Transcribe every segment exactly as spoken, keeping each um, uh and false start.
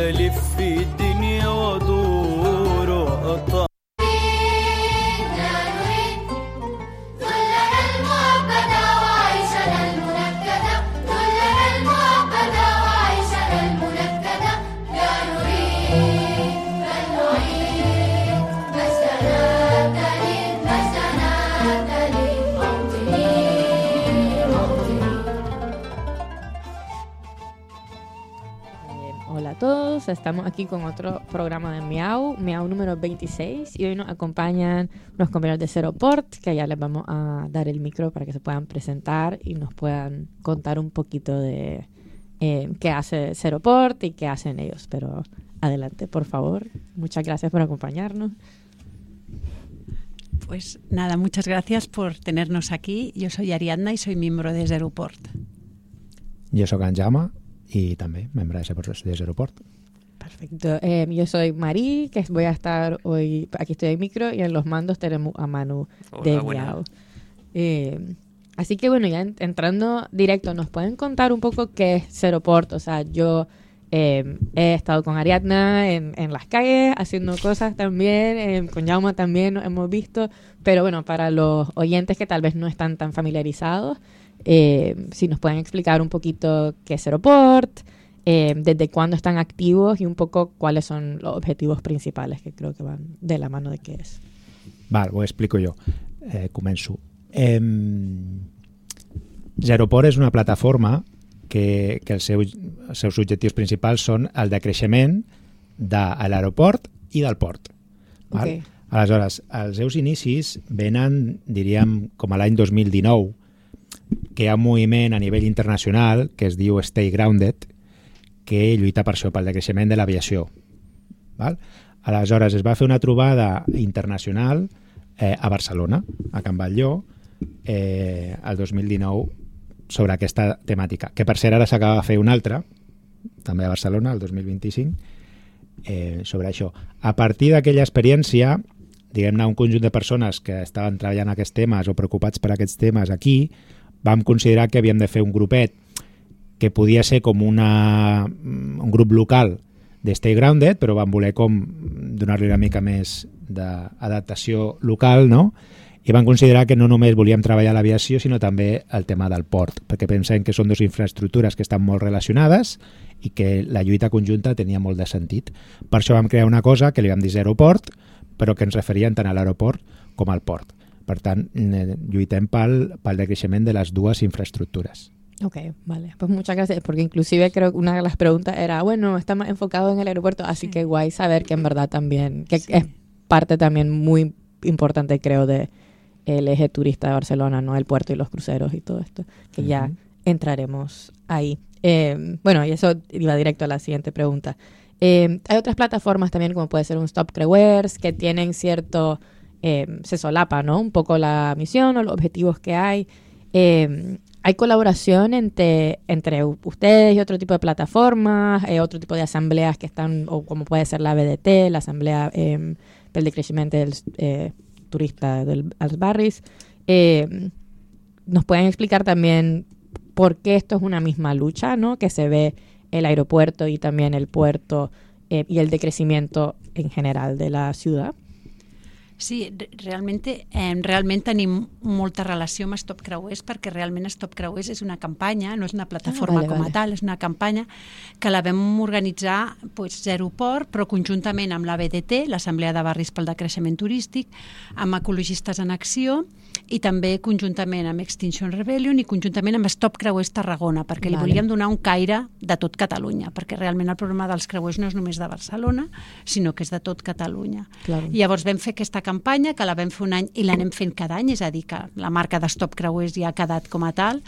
ألف في الدنيا وأدور وأطلع. Hola a todos, estamos aquí con otro programa de Miau, Miau número veintiséis, y hoy nos acompañan unos compañeros de Zeroport, que ya les vamos a dar el micro para que se puedan presentar y nos puedan contar un poquito de eh, qué hace Zeroport y qué hacen ellos. Pero adelante, por favor. Muchas gracias por acompañarnos. Pues nada, muchas gracias por tenernos aquí. Yo soy Ariadna y soy miembro de Zeroport. Yo soy en Jaume y también miembro de Zeroport. Perfecto. Eh, yo soy Marí, que voy a estar hoy, aquí estoy en micro, y en los mandos tenemos a Manu. Hola, de Miau. Eh, así que bueno, ya en, entrando directo, ¿nos pueden contar un poco qué es Zeroport? O sea, yo eh, he estado con Ariadna en, en las calles haciendo cosas también, eh, con Jaume también nos hemos visto, pero bueno, para los oyentes que tal vez no están tan familiarizados, Eh, si nos pueden explicar un poquito qué es Zeroport, eh, desde cuándo están activos y un poco cuáles son los objetivos principales, que creo que van de la mano de qué es. Vale, ho explico jo. Eh, començo. Eh, Zeroport és una plataforma que, que els, seus, els seus objectius principals són el de creixement de l'aeroport i del port. Val? Okay. Aleshores, els seus inicis venen, diríem, com a l'any dos mil dinou, que hi ha un moviment a nivell internacional que es diu Stay Grounded, que lluita per això, pel decreixement de l'aviació. Val? Aleshores, es va fer una trobada internacional eh, a Barcelona, a Can Batlló, eh, el dos mil dinou, sobre aquesta temàtica, que per cert ara s'acaba de fer una altra, també a Barcelona, el dos mil vint-i-cinc, eh, sobre això. A partir d'aquella experiència, diguem-ne, un conjunt de persones que estaven treballant aquests temes o preocupats per aquests temes aquí, vam considerar que havíem de fer un grupet que podia ser com una, un grup local de Stay Grounded, però vam voler com donar-li una mica més d'adaptació local, no? I vam considerar que no només volíem treballar l'aviació, sinó també el tema del port, perquè pensem que són dues infraestructures que estan molt relacionades i que la lluita conjunta tenia molt de sentit. Per això vam crear una cosa que li vam dir Zeroport, però que ens referien tant a l'aeroport com al port. Per tant, lluitem pel, pel decreixement de las dues infraestructuras. Ok, vale. Pues muchas gracias, porque inclusive creo que una de las preguntas era, bueno, está más enfocado en el aeropuerto, así que guay saber que en verdad también, que sí, es parte también muy importante, creo, de el eje turista de Barcelona, ¿no? El puerto y los cruceros y todo esto, que uh-huh. ya entraremos ahí. Eh, bueno, y eso iba directo a la siguiente pregunta. Eh, hay otras plataformas también, como puede ser un Stop Creuers, que tienen cierto... Eh, se solapa, ¿no? Un poco la misión o los objetivos que hay. Eh, ¿Hay colaboración entre, entre ustedes y otro tipo de plataformas, eh, otro tipo de asambleas que están, o como puede ser la B D T, la Asamblea eh, del Decrecimiento del eh, Turista del, als Barris? Eh, ¿Nos pueden explicar también por qué esto es una misma lucha, ¿no? Que se ve el aeropuerto y también el puerto eh, y el decrecimiento en general de la ciudad? Sí, realment, eh, realment tenim molta relació amb Stop Creuers, perquè realment Stop Creuers és una campanya, no és una plataforma ah, vale, com a vale. tal, és una campanya que la vam organitzar pues, Zeroport, però conjuntament amb la B D T, l'Assemblea de Barris pel Decreixement Turístic, amb Ecologistes en Acció i també conjuntament amb Extinction Rebellion i conjuntament amb Stop Creuers Tarragona, perquè vale. li volíem donar un caire de tot Catalunya, perquè realment el problema dels creuers no és només de Barcelona, sinó que és de tot Catalunya. Claro. I llavors vam fer aquesta campanya, que la vam fer un any i l'anem fent cada any, és a dir, que la marca de Stop Creuers ja ha quedat com a tal,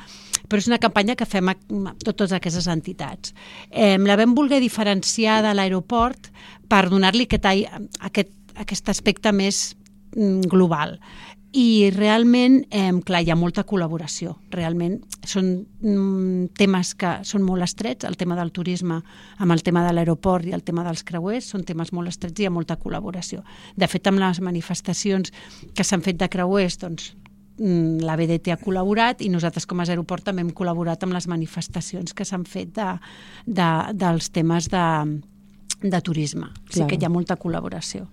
però és una campanya que fem a totes aquestes entitats. Eh, la vam voler diferenciar de l'aeroport per donar-li aquest, aquest, aquest aspecte més global. I realment, eh, clar, hi ha molta col·laboració. Realment són mm, temes que són molt estrets, el tema del turisme amb el tema de l'aeroport i el tema dels creuers són temes molt estrets i hi ha molta col·laboració. De fet, amb les manifestacions que s'han fet de creuers, doncs, la B D T ha col·laborat i nosaltres com a Zeroport també hem col·laborat amb les manifestacions que s'han fet de, de, dels temes de de turisme. Sí Claro. que hi ha molta col·laboració.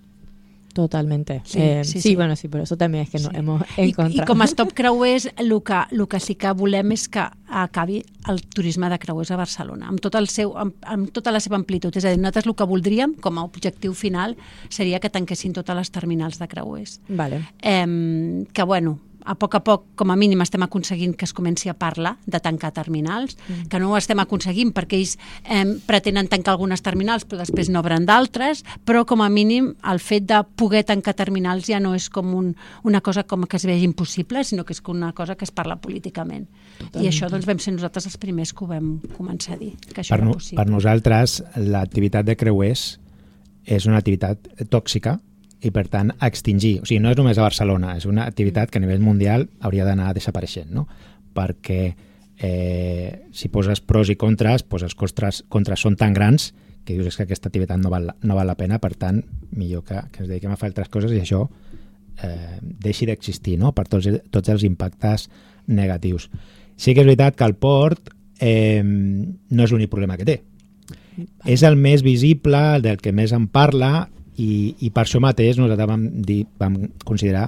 Totalmente. Sí, Eh, sí, sí, sí. bueno, sí, por eso también es que nos Sí. hemos I, encontrado. I com a stop creuers, el que, el que sí que volem és que acabi el turisme de creuers a Barcelona, amb, tot el seu, amb, amb tota la seva amplitud. És a dir, nosaltres el que voldríem, com a objectiu final, seria que tanquessin totes les terminals de creuers. Vale. Eh, que, bueno, a poc a poc, com a mínim, estem aconseguint que es comenci a parlar de tancar terminals, mm. que no ho estem aconseguint perquè ells eh, pretenen tancar algunes terminals però després n'obren d'altres, però com a mínim el fet de poder tancar terminals ja no és com un, una cosa com que es vegi impossible, sinó que és una cosa que es parla políticament. Totalment. I això doncs, vam ser nosaltres els primers que ho vam començar a dir, que això Per, era no, possible. per nosaltres, l'activitat de creuers és una activitat tòxica i, per tant, a extingir. O sigui, no és només a Barcelona, és una activitat que a nivell mundial hauria d'anar desapareixent, no? Perquè eh, si poses pros i contres, doncs els contres, contres són tan grans que dius és que aquesta activitat no val, no val la pena, per tant, millor que, que ens dediquem a fer altres coses i això eh, deixi d'existir, no? Per tots, tots els impactes negatius. Sí que és veritat que el port eh, no és l'únic problema que té. És el més visible, el del que més en parla, i, i per això mateix nosaltres vam, dir, vam considerar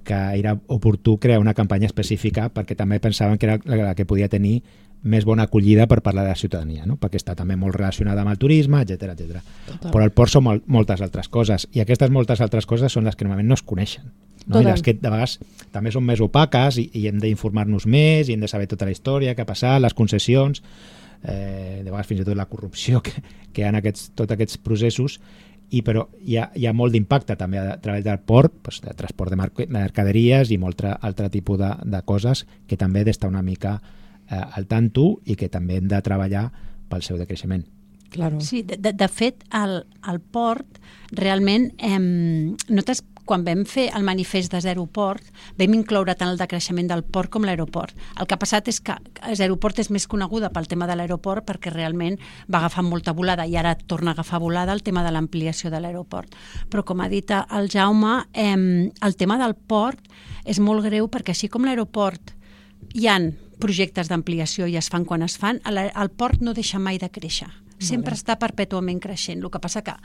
que era oportú crear una campanya específica perquè també pensàvem que era la que podia tenir més bona acollida per parlar de la ciutadania, no? Perquè està també molt relacionada amb el turisme, etcètera, etcètera. Però el port són molt, moltes altres coses i aquestes moltes altres coses són les que normalment no es coneixen, no? I les que de vegades també són més opaques i, i hem d'informar-nos més i hem de saber tota la història que ha passat, les concessions, eh, de vegades fins i tot la corrupció que, que hi ha en aquests, tots aquests processos. I però hi ha, hi ha molt d'impacte també a través del port, doncs, de transport de mercaderies i molt altre tipus de, de coses que també he d'estar una mica eh, al tanto i que també hem de treballar pel seu decreixement. Claro. Sí, de, de, de fet, al, al port, realment, eh, nosaltres, quan vam fer el manifest de Zero Port, vam incloure tant el decreixement del port com l'aeroport. El que ha passat és que Zero Port és més coneguda pel tema de l'aeroport perquè realment va agafar molta volada i ara torna a agafar volada el tema de l'ampliació de l'aeroport. Però, com ha dit el Jaume, eh, el tema del port és molt greu perquè així com l'aeroport hi han projectes d'ampliació i es fan quan es fan, el, el port no deixa mai de créixer. Sempre està perpètuament creixent. El que passa que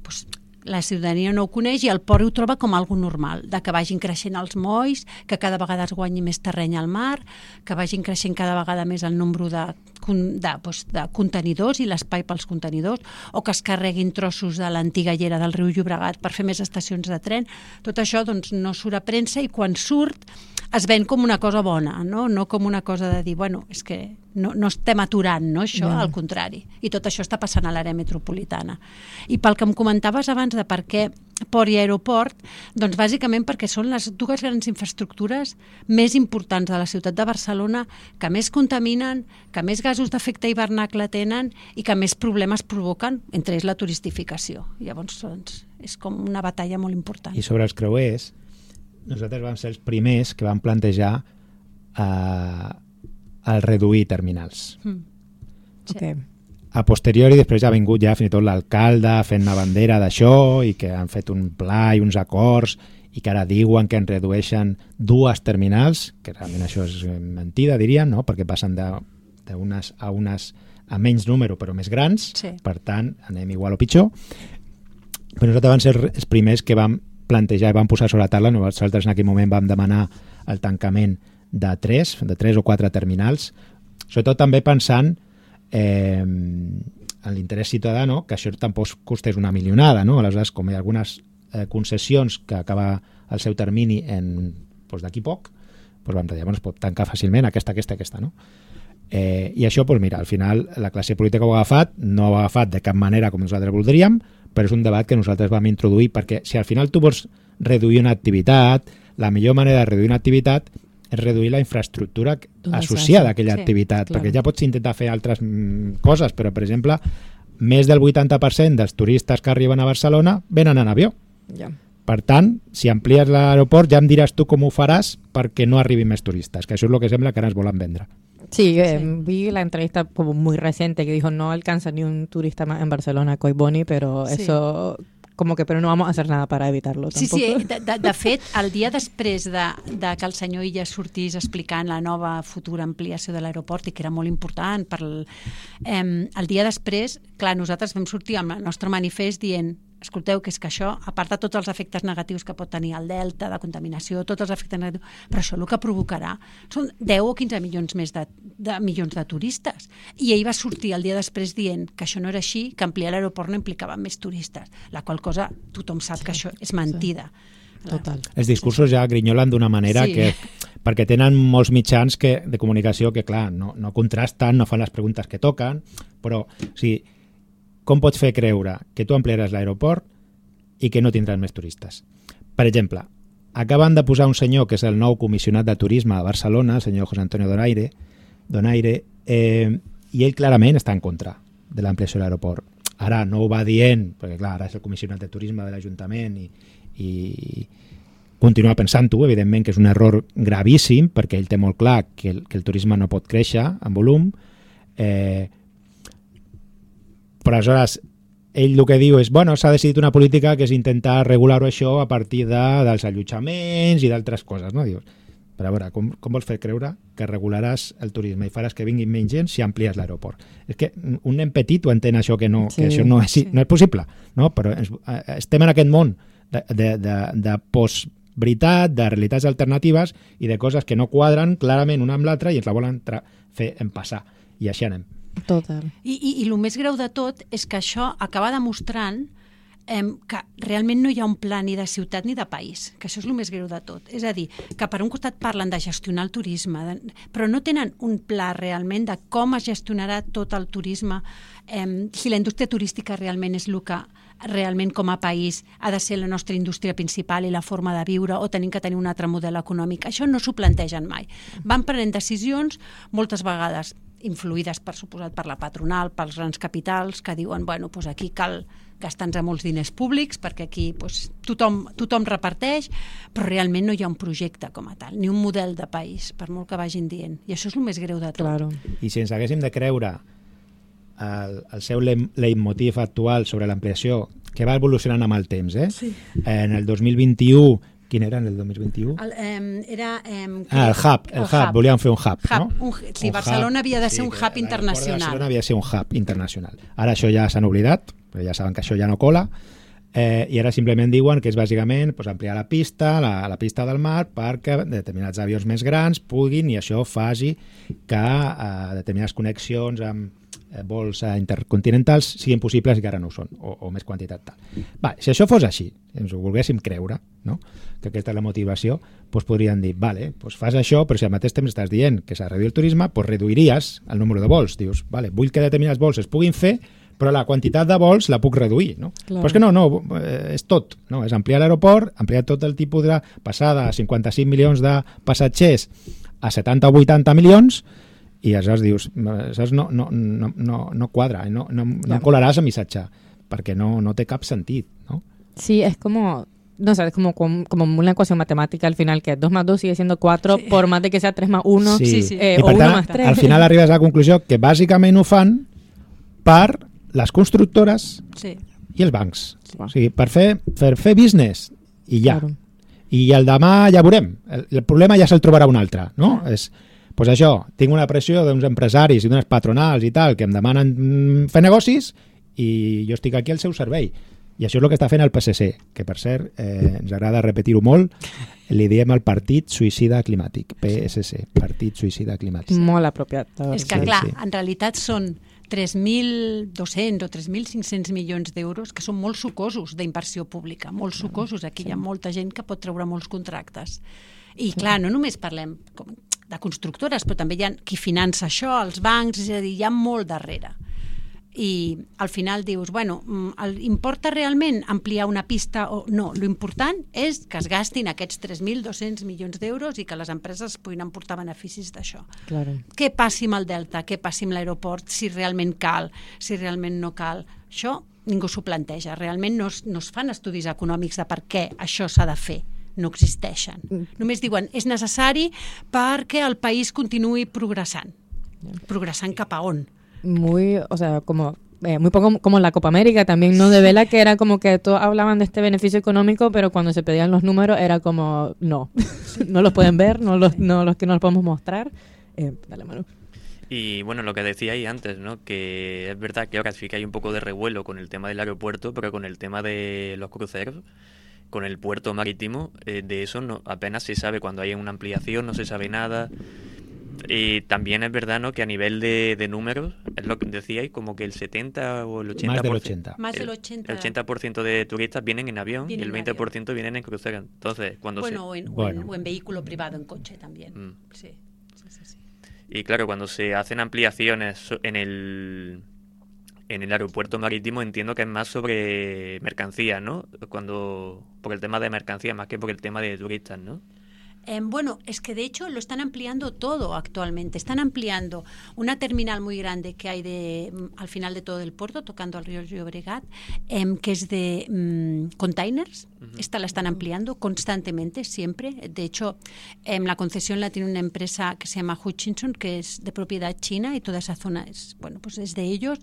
doncs, la ciutadania no ho coneix i el port ho troba com algo normal, de que vagin creixent els molls, que cada vegada es guanyi més terreny al mar, que vagin creixent cada vegada més el nombre de, de, doncs, de contenidors i l'espai pels contenidors, o que es carreguin trossos de l'antiga llera del riu Llobregat per fer més estacions de tren. Tot això doncs, no surt a premsa i quan surt es ven com una cosa bona, no, no com una cosa de dir, bueno, és que no, no estem aturant, no, això, yeah. Al contrari. I tot això està passant a l'àrea metropolitana. I pel que em comentaves abans de per què port i aeroport, doncs bàsicament perquè són les dues grans infraestructures més importants de la ciutat de Barcelona, que més contaminen, que més gasos d'efecte hivernacle tenen i que més problemes provoquen, entre ells la turistificació. Llavors, doncs, és com una batalla molt important. I sobre els creuers, nosaltres vam ser els primers que vam plantejar eh, el reduir terminals. Mm. Sí. Okay. A posteriori, després ja ha vingut ja fins i tot l'alcalde fent una bandera d'això i que han fet un pla i uns acords i que ara diuen que en redueixen dues terminals, que realment això és mentida, diríem, no? Perquè passen d'unes a unes a menys número però més grans, sí. Per tant anem igual o pitjor. Però nosaltres vam ser els primers que vam plantejar i vam posar sobre la taula, nosaltres en aquell moment vam demanar el tancament de tres, de tres o quatre terminals, sobretot també pensant eh, en l'interès ciutadà, no? Que això tampoc costés una milionada, no? Aleshores, com hi ha algunes eh, concessions que acaba el seu termini en doncs, d'aquí poc, doncs vam dir, bueno, es pot tancar fàcilment aquesta, aquesta, aquesta, no? Eh, I això, doncs mira, al final la classe política ho ha agafat, no ho ha agafat de cap manera com nosaltres voldríem, però és un debat que nosaltres vam introduir perquè si al final tu vols reduir una activitat, la millor manera de reduir una activitat és reduir la infraestructura associada a aquella sí, activitat, clar. Perquè ja pots intentar fer altres mm, coses, però per exemple, més del vuitanta per cent dels turistes que arriben a Barcelona venen en avió. Ja. Per tant, si amplies l'aeroport ja em diràs tu com ho faràs perquè no arribin més turistes, que això és el que sembla que ara ens volen vendre. Sí, eh, sí, vi la entrevista como muy reciente que dijo no alcanza ni un turista más en Barcelona, Coy Boni, pero sí. Eso como que, pero no vamos a hacer nada para evitarlo Sí, tampoco. sí, de, de, de fet, el dia després de, de que el senyor Illa sortís explicant la nova futura ampliació de l'aeroport i que era molt important, per el, eh, el dia després, clar, nosaltres vam sortir amb el nostre manifest dient escolteu, que és que això, a part de tots els efectes negatius que pot tenir el delta, de contaminació, tots els efectes negatius, però això el que provocarà són deu o quinze milions més de, de milions de turistes. I ell va sortir el dia després dient que això no era així, que ampliar l'aeroport no implicava més turistes, la qual cosa tothom sap sí, que això és mentida. Sí. Total. Els discursos ja grinyolen d'una manera Sí. que, perquè tenen molts mitjans que, de comunicació que, clar, no, no contrasten, no fan les preguntes que toquen, però, o sigui, com pots fer creure que tu ampliaràs l'aeroport i que no tindràs més turistes? Per exemple, acaben de posar un senyor que és el nou comissionat de turisme a Barcelona, el senyor José Antonio Donaire, Donaire eh, i ell clarament està en contra de l'ampliació de l'aeroport. Ara no ho va dient, perquè clar, ara és el comissionat de turisme de l'Ajuntament i, i continua pensant-ho, evidentment que és un error gravíssim, perquè ell té molt clar que el, que el turisme no pot créixer en volum, eh, però aleshores ell el que diu és, bueno, s'ha decidit una política que és intentar regular-ho això a partir de, dels allotjaments i d'altres coses, no? Dius, però a veure, com, com vols fer creure que regularàs el turisme i faràs que vinguin menys gent si amplies l'aeroport? És que un nen petit ho entén això, que, no, sí, que això no és, sí. no és possible, no? Però ens, estem en aquest món de, de, de, de post-veritat, de realitats alternatives i de coses que no quadren clarament una amb l'altra i ens la volen fer empassar, i així anem. Total. I, i, I el més greu de tot és que això acaba demostrant eh, que realment no hi ha un pla ni de ciutat ni de país, que això és el més greu de tot. És a dir, que per un costat parlen de gestionar el turisme, de, però no tenen un pla realment de com es gestionarà tot el turisme, eh, si la indústria turística realment és el que realment com a país ha de ser la nostra indústria principal i la forma de viure, o tenim que tenir un altre model econòmic. Això no s'ho plantegen mai. Van prenent decisions moltes vegades influïdes, per suposat, per la patronal, pels grans capitals, que diuen, bueno, doncs aquí cal gastar-nos molts diners públics, perquè aquí doncs, tothom, tothom reparteix, però realment no hi ha un projecte com a tal, ni un model de país, per molt que vagin dient. I això és el més greu de tot. Claro. I si ens haguéssim de creure el, el seu leitmotiv actual sobre l'ampliació, que va evolucionant amb el temps, eh? Sí. En el dos mil vint-i-u, quin era en el dos mil vint-i-u? El, eh, era... Eh, ah, el hub, el, el hub, hub, volíem fer un hub, hub no? Un, sí, un Barcelona hub, havia de ser sí, un hub internacional. Barcelona havia de ser un hub internacional. Ara això ja s'han oblidat, però ja saben que això ja no cola, eh, i ara simplement diuen que és bàsicament pues, ampliar la pista, la, la pista del mar, perquè determinats avions més grans puguin, i això faci que eh, determinades connexions amb eh, vols eh, intercontinentals siguin possibles i que ara no ho són, o, o més quantitat tal. Va, si això fos així, ens ho volguéssim creure, no? Que aquesta és la motivació, doncs podrien dir, vale, doncs fas això, però si al mateix temps estàs dient que s'ha de reduir el turisme, doncs reduiries el número de vols. Dius, vale, vull que determinats vols es puguin fer, però la quantitat de vols la puc reduir, no? Clar. Però és que no, no, és tot, no? És ampliar l'aeroport, ampliar tot el tipus de passada a cinquanta-cinc milions de passatgers a setanta o vuitanta milions, i aleshores dius, aleshores no, no, no, no, no quadra, no, no, no colaràs el missatge, perquè no, no té cap sentit, no? Sí, es como... No sé, es como, como, como una ecuación matemática al final, que dos más dos sigue siendo cuatro, sí. Por más de que sea tres más uno, sí. Sí, sí. Eh, I o per uno tant, más tres. al final arribes a la conclusió que bàsicament ho fan per les constructores sí. i els bancs. Sí. O sigui, per fer, per fer business i ja. Claro. I el demà ja veurem. El, el problema ja se'l trobarà un altre, no? És, pues això, tinc una pressió d'uns empresaris i d'unes patronals i tal que em demanen fer negocis i jo estic aquí al seu servei. I això és el que està fent el P S C, que per cert, eh, ens agrada repetir-ho molt, li diem el Partit Suïcida Climàtic, P S C, Partit Suïcida Climàtic. Molt apropiat. És que, clar, sí. En realitat són tres mil dos-cents o tres mil cinc-cents milions d'euros, que són molt sucosos d'inversió pública, molt sucosos. Aquí sí. Hi ha molta gent que pot treure molts contractes. I, clar, no només parlem de constructores, però també hi ha qui finança això, els bancs, és a dir, hi ha molt darrere. I al final dius, bueno, importa realment ampliar una pista o no? L'important és que es gastin aquests tres mil dos-cents milions d'euros i que les empreses puguin emportar beneficis d'això. Claro. Què passi amb el Delta? Què passi amb l'aeroport? Si realment cal, si realment no cal. Això ningú s'ho planteja. Realment no es, no es fan estudis econòmics de per què això s'ha de fer. No existeixen. Només diuen, és necessari perquè el país continuï progressant. Progressant cap a on? Muy, o sea, como eh, muy poco como en la Copa América también, ¿no? De vela, que era como que todos hablaban de este beneficio económico, pero cuando se pedían los números era como, no, no los pueden ver, no los, no los que no los podemos mostrar. Eh, dale, Manu. Y bueno, lo que decíais antes, ¿no? Que es verdad que ahora sí que hay un poco de revuelo con el tema del aeropuerto, pero con el tema de los cruceros, con el puerto marítimo, eh, de eso no apenas se sabe. Cuando hay una ampliación no se sabe nada. Y también es verdad, ¿no? Que a nivel de, de números, es lo que decíais, como que el setenta o el ochenta por ciento, Más Más del ochenta. del el, ochenta. el ochenta por ciento de turistas vienen en avión Vienen y el en veinte por ciento vienen en crucero. Entonces, cuando Bueno, se... o, en, Bueno. o, en, o en vehículo privado, en coche también. Mm. Sí, sí, sí, sí. Y claro, cuando se hacen ampliaciones so- en el en el aeropuerto marítimo, entiendo que es más sobre mercancías, ¿no? Cuando por el tema de mercancías más que por el tema de turistas, ¿no? Eh, bueno, es que de hecho lo están ampliando todo actualmente. Están ampliando una terminal muy grande que hay de, mm, al final de todo el puerto, tocando al río Llobregat, em, que es de mm, containers. Esta la están ampliando constantemente, siempre. De hecho, em, la concesión la tiene una empresa que se llama Hutchinson, que es de propiedad china, y toda esa zona es, bueno, pues es de ellos.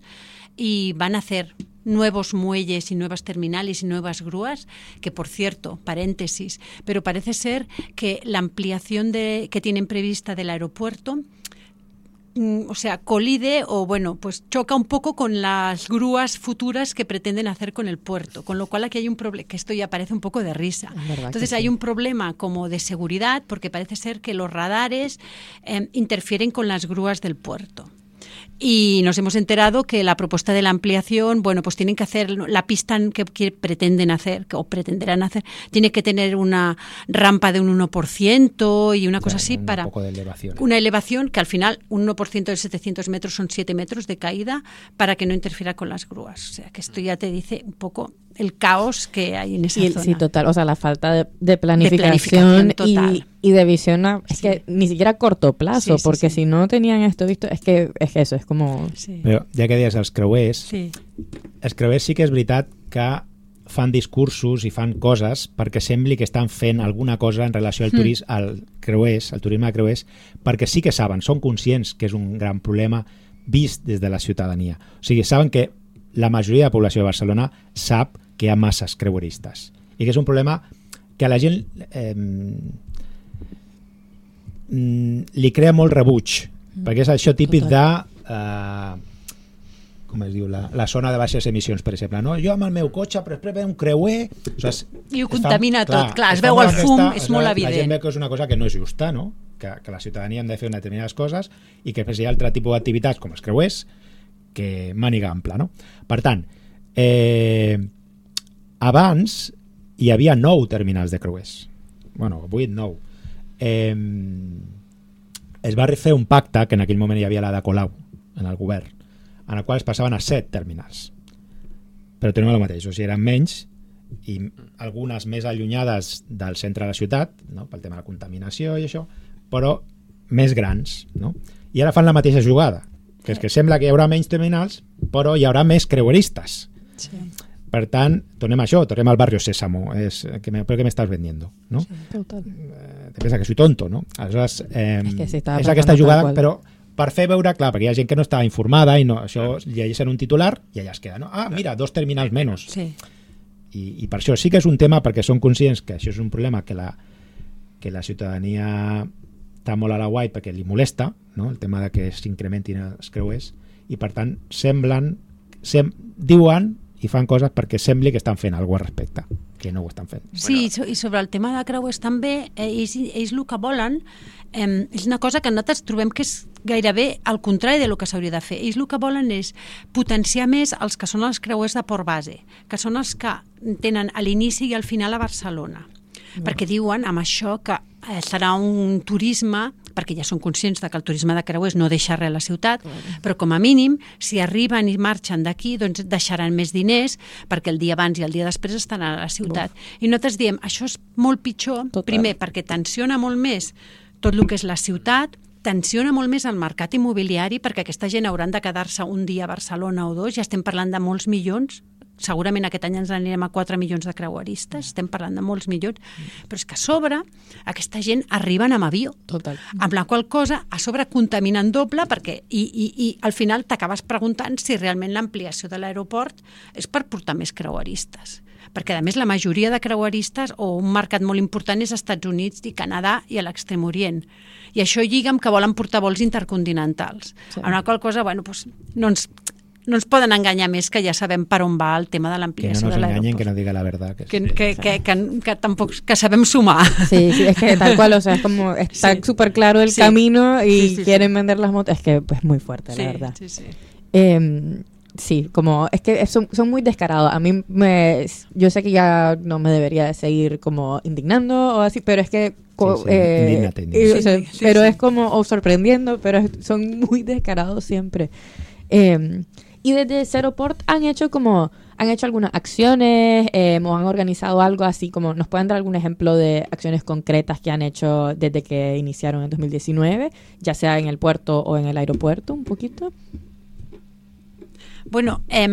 Y van a hacer nuevos muelles y nuevas terminales y nuevas grúas, que por cierto, paréntesis, pero parece ser que la ampliación de, que tienen prevista del aeropuerto, mm, o sea, colide o bueno, pues choca un poco con las grúas futuras que pretenden hacer con el puerto, con lo cual aquí hay un problema, que esto ya parece un poco de risa. Es verdad Entonces que hay sí. un problema como de seguridad, porque parece ser que los radares eh, interfieren con las grúas del puerto. Y nos hemos enterado que la propuesta de la ampliación, bueno, pues tienen que hacer la pista que, que pretenden hacer, que, o pretenderán hacer, tiene que tener una rampa de un uno por ciento y una cosa Claro, así un para poco de elevación. una elevación que al final un uno por ciento de setecientos metros son siete metros de caída para que no interfiera con las grúas. O sea, que esto ya te dice un poco el caos que hay en esa Y el- zona. sí, total, o sea, la falta de, de planificación, planificación total. y, y de visión, a- es Sí. que ni siquiera a corto plazo, Sí, sí, porque sí. si no tenían esto visto, es que es que eso, es como... Sí. Però ja que deies els creuers, Sí. els creuers sí que és veritat que fan discursos i fan coses perquè sembli que estan fent alguna cosa en relació al turisme, al creuers, al turisme de creuers, perquè sí que saben, són conscients que és un gran problema vist des de la ciutadania. O sigui, saben que la majoria de la població de Barcelona sap que hi ha masses creueristes i que és un problema que a la gent eh, li crea molt rebuig, mm. perquè és això típic Total. de eh, com es diu, la, la zona de baixes emissions, per exemple, no? Jo amb el meu cotxe, però després ve un creuer... O sigui, I ho es fa- contamina tot, clar, es fa veu molt el fum, aquesta- és o sigui, molt La gent evident. veu que és una cosa que no és justa, no? Que, que la ciutadania hem de fer determinades coses i que després hi ha altre tipus d'activitats, com els creuers, que màniga ampla, no? Per tant, eh, abans hi havia nou terminals de creuers. Bueno, vuit, nou. Eh, es va fer un pacte, que en aquell moment hi havia la de Colau, en el govern, en el qual es passaven a set terminals. Però tenim el mateix, o sigui, eren menys i algunes més allunyades del centre de la ciutat, no? Pel tema de la contaminació i això, però més grans, no? I ara fan la mateixa jugada, que és que sembla que hi haurà menys terminals, però hi haurà més creueristes. Sí. Per tant, tornem a això, tornem al barrio Sésamo, és, que me, però què m'estàs vendiendo, no? Sí, total. Eh, te pensa que soy tonto, no? Aleshores, eh, És que sí, estava és aquesta pensant jugada, tal qual. però per fer veure, clar, perquè hi ha gent que no està informada i no, això llegeixen un titular i allà es queda, no? Ah, mira, dos terminals menys. Sí. I, i per això sí que és un tema, perquè són conscients que això és un problema que la, que la ciutadania està molt a la guai perquè li molesta, no? El tema de que s'incrementin els creuers, i per tant semblen, sem, diuen i fan coses perquè sembli que estan fent alguna cosa al respecte, que no ho estan fent. Sí, i so- i sobre el tema de creuers també, eh, ells, ells el que volen eh, és una cosa que nosaltres trobem que és gairebé al contrari de lo que s'hauria de fer. Ells el que volen és potenciar més els que són els creuers de port base, que són els que tenen a l'inici i al final a Barcelona. Perquè diuen amb això que eh, serà un turisme, perquè ja són conscients de que el turisme de creuers no deixa res a la ciutat, però com a mínim, si arriben i marxen d'aquí, doncs deixaran més diners, perquè el dia abans i el dia després estan a la ciutat. I nosaltres diem, això és molt pitjor, Total. primer, perquè tensiona molt més tot el que és la ciutat, tensiona molt més el mercat immobiliari, perquè aquesta gent hauran de quedar-se un dia a Barcelona o dos, ja estem parlant de molts milions segurament aquest any ens anirem a quatre milions de creueristes, estem parlant de molts milions, però és que a sobre aquesta gent arriben amb avió, Total. amb la qual cosa a sobre contaminen doble perquè i, i, i al final t'acabes preguntant si realment l'ampliació de l'aeroport és per portar més creueristes. Perquè, a més, la majoria de creueristes o un mercat molt important és Estats Units i Canadà i a l'Extrem Orient. I això lliga amb que volen portar vols intercontinentals. Sí. Amb la qual cosa, bueno, doncs, no ens... no ens poden enganyar més, que ja sabem per on va el tema de l'ampliació de l'aeroport. Que no nos engañen, que no diga la verdad. Que, que, que, que, que, que tampoc que sabem sumar. Sí, sí, es que tal cual, o sea, es como está sí. súper claro el sí. camino y sí, sí, quieren sí. vender las motos, es que es pues, muy fuerte, sí, la verdad. Sí, sí. Eh, sí, como es que son, son muy descarados. A mí me, yo sé que ya no me debería seguir como indignando o así, pero es que co- Sí, sí, eh, indígnate, y, indígnate. o sea, Sí, sí, pero sí. es como o sorprendiendo, pero es- son muy descarados siempre. Eh, y desde Zeroport han hecho como han hecho algunas acciones eh, o han organizado algo así como nos pueden dar algún ejemplo de acciones concretas que han hecho desde que iniciaron en dos mil diecinueve, ya sea en el puerto o en el aeropuerto, un poquito. Bueno, eh,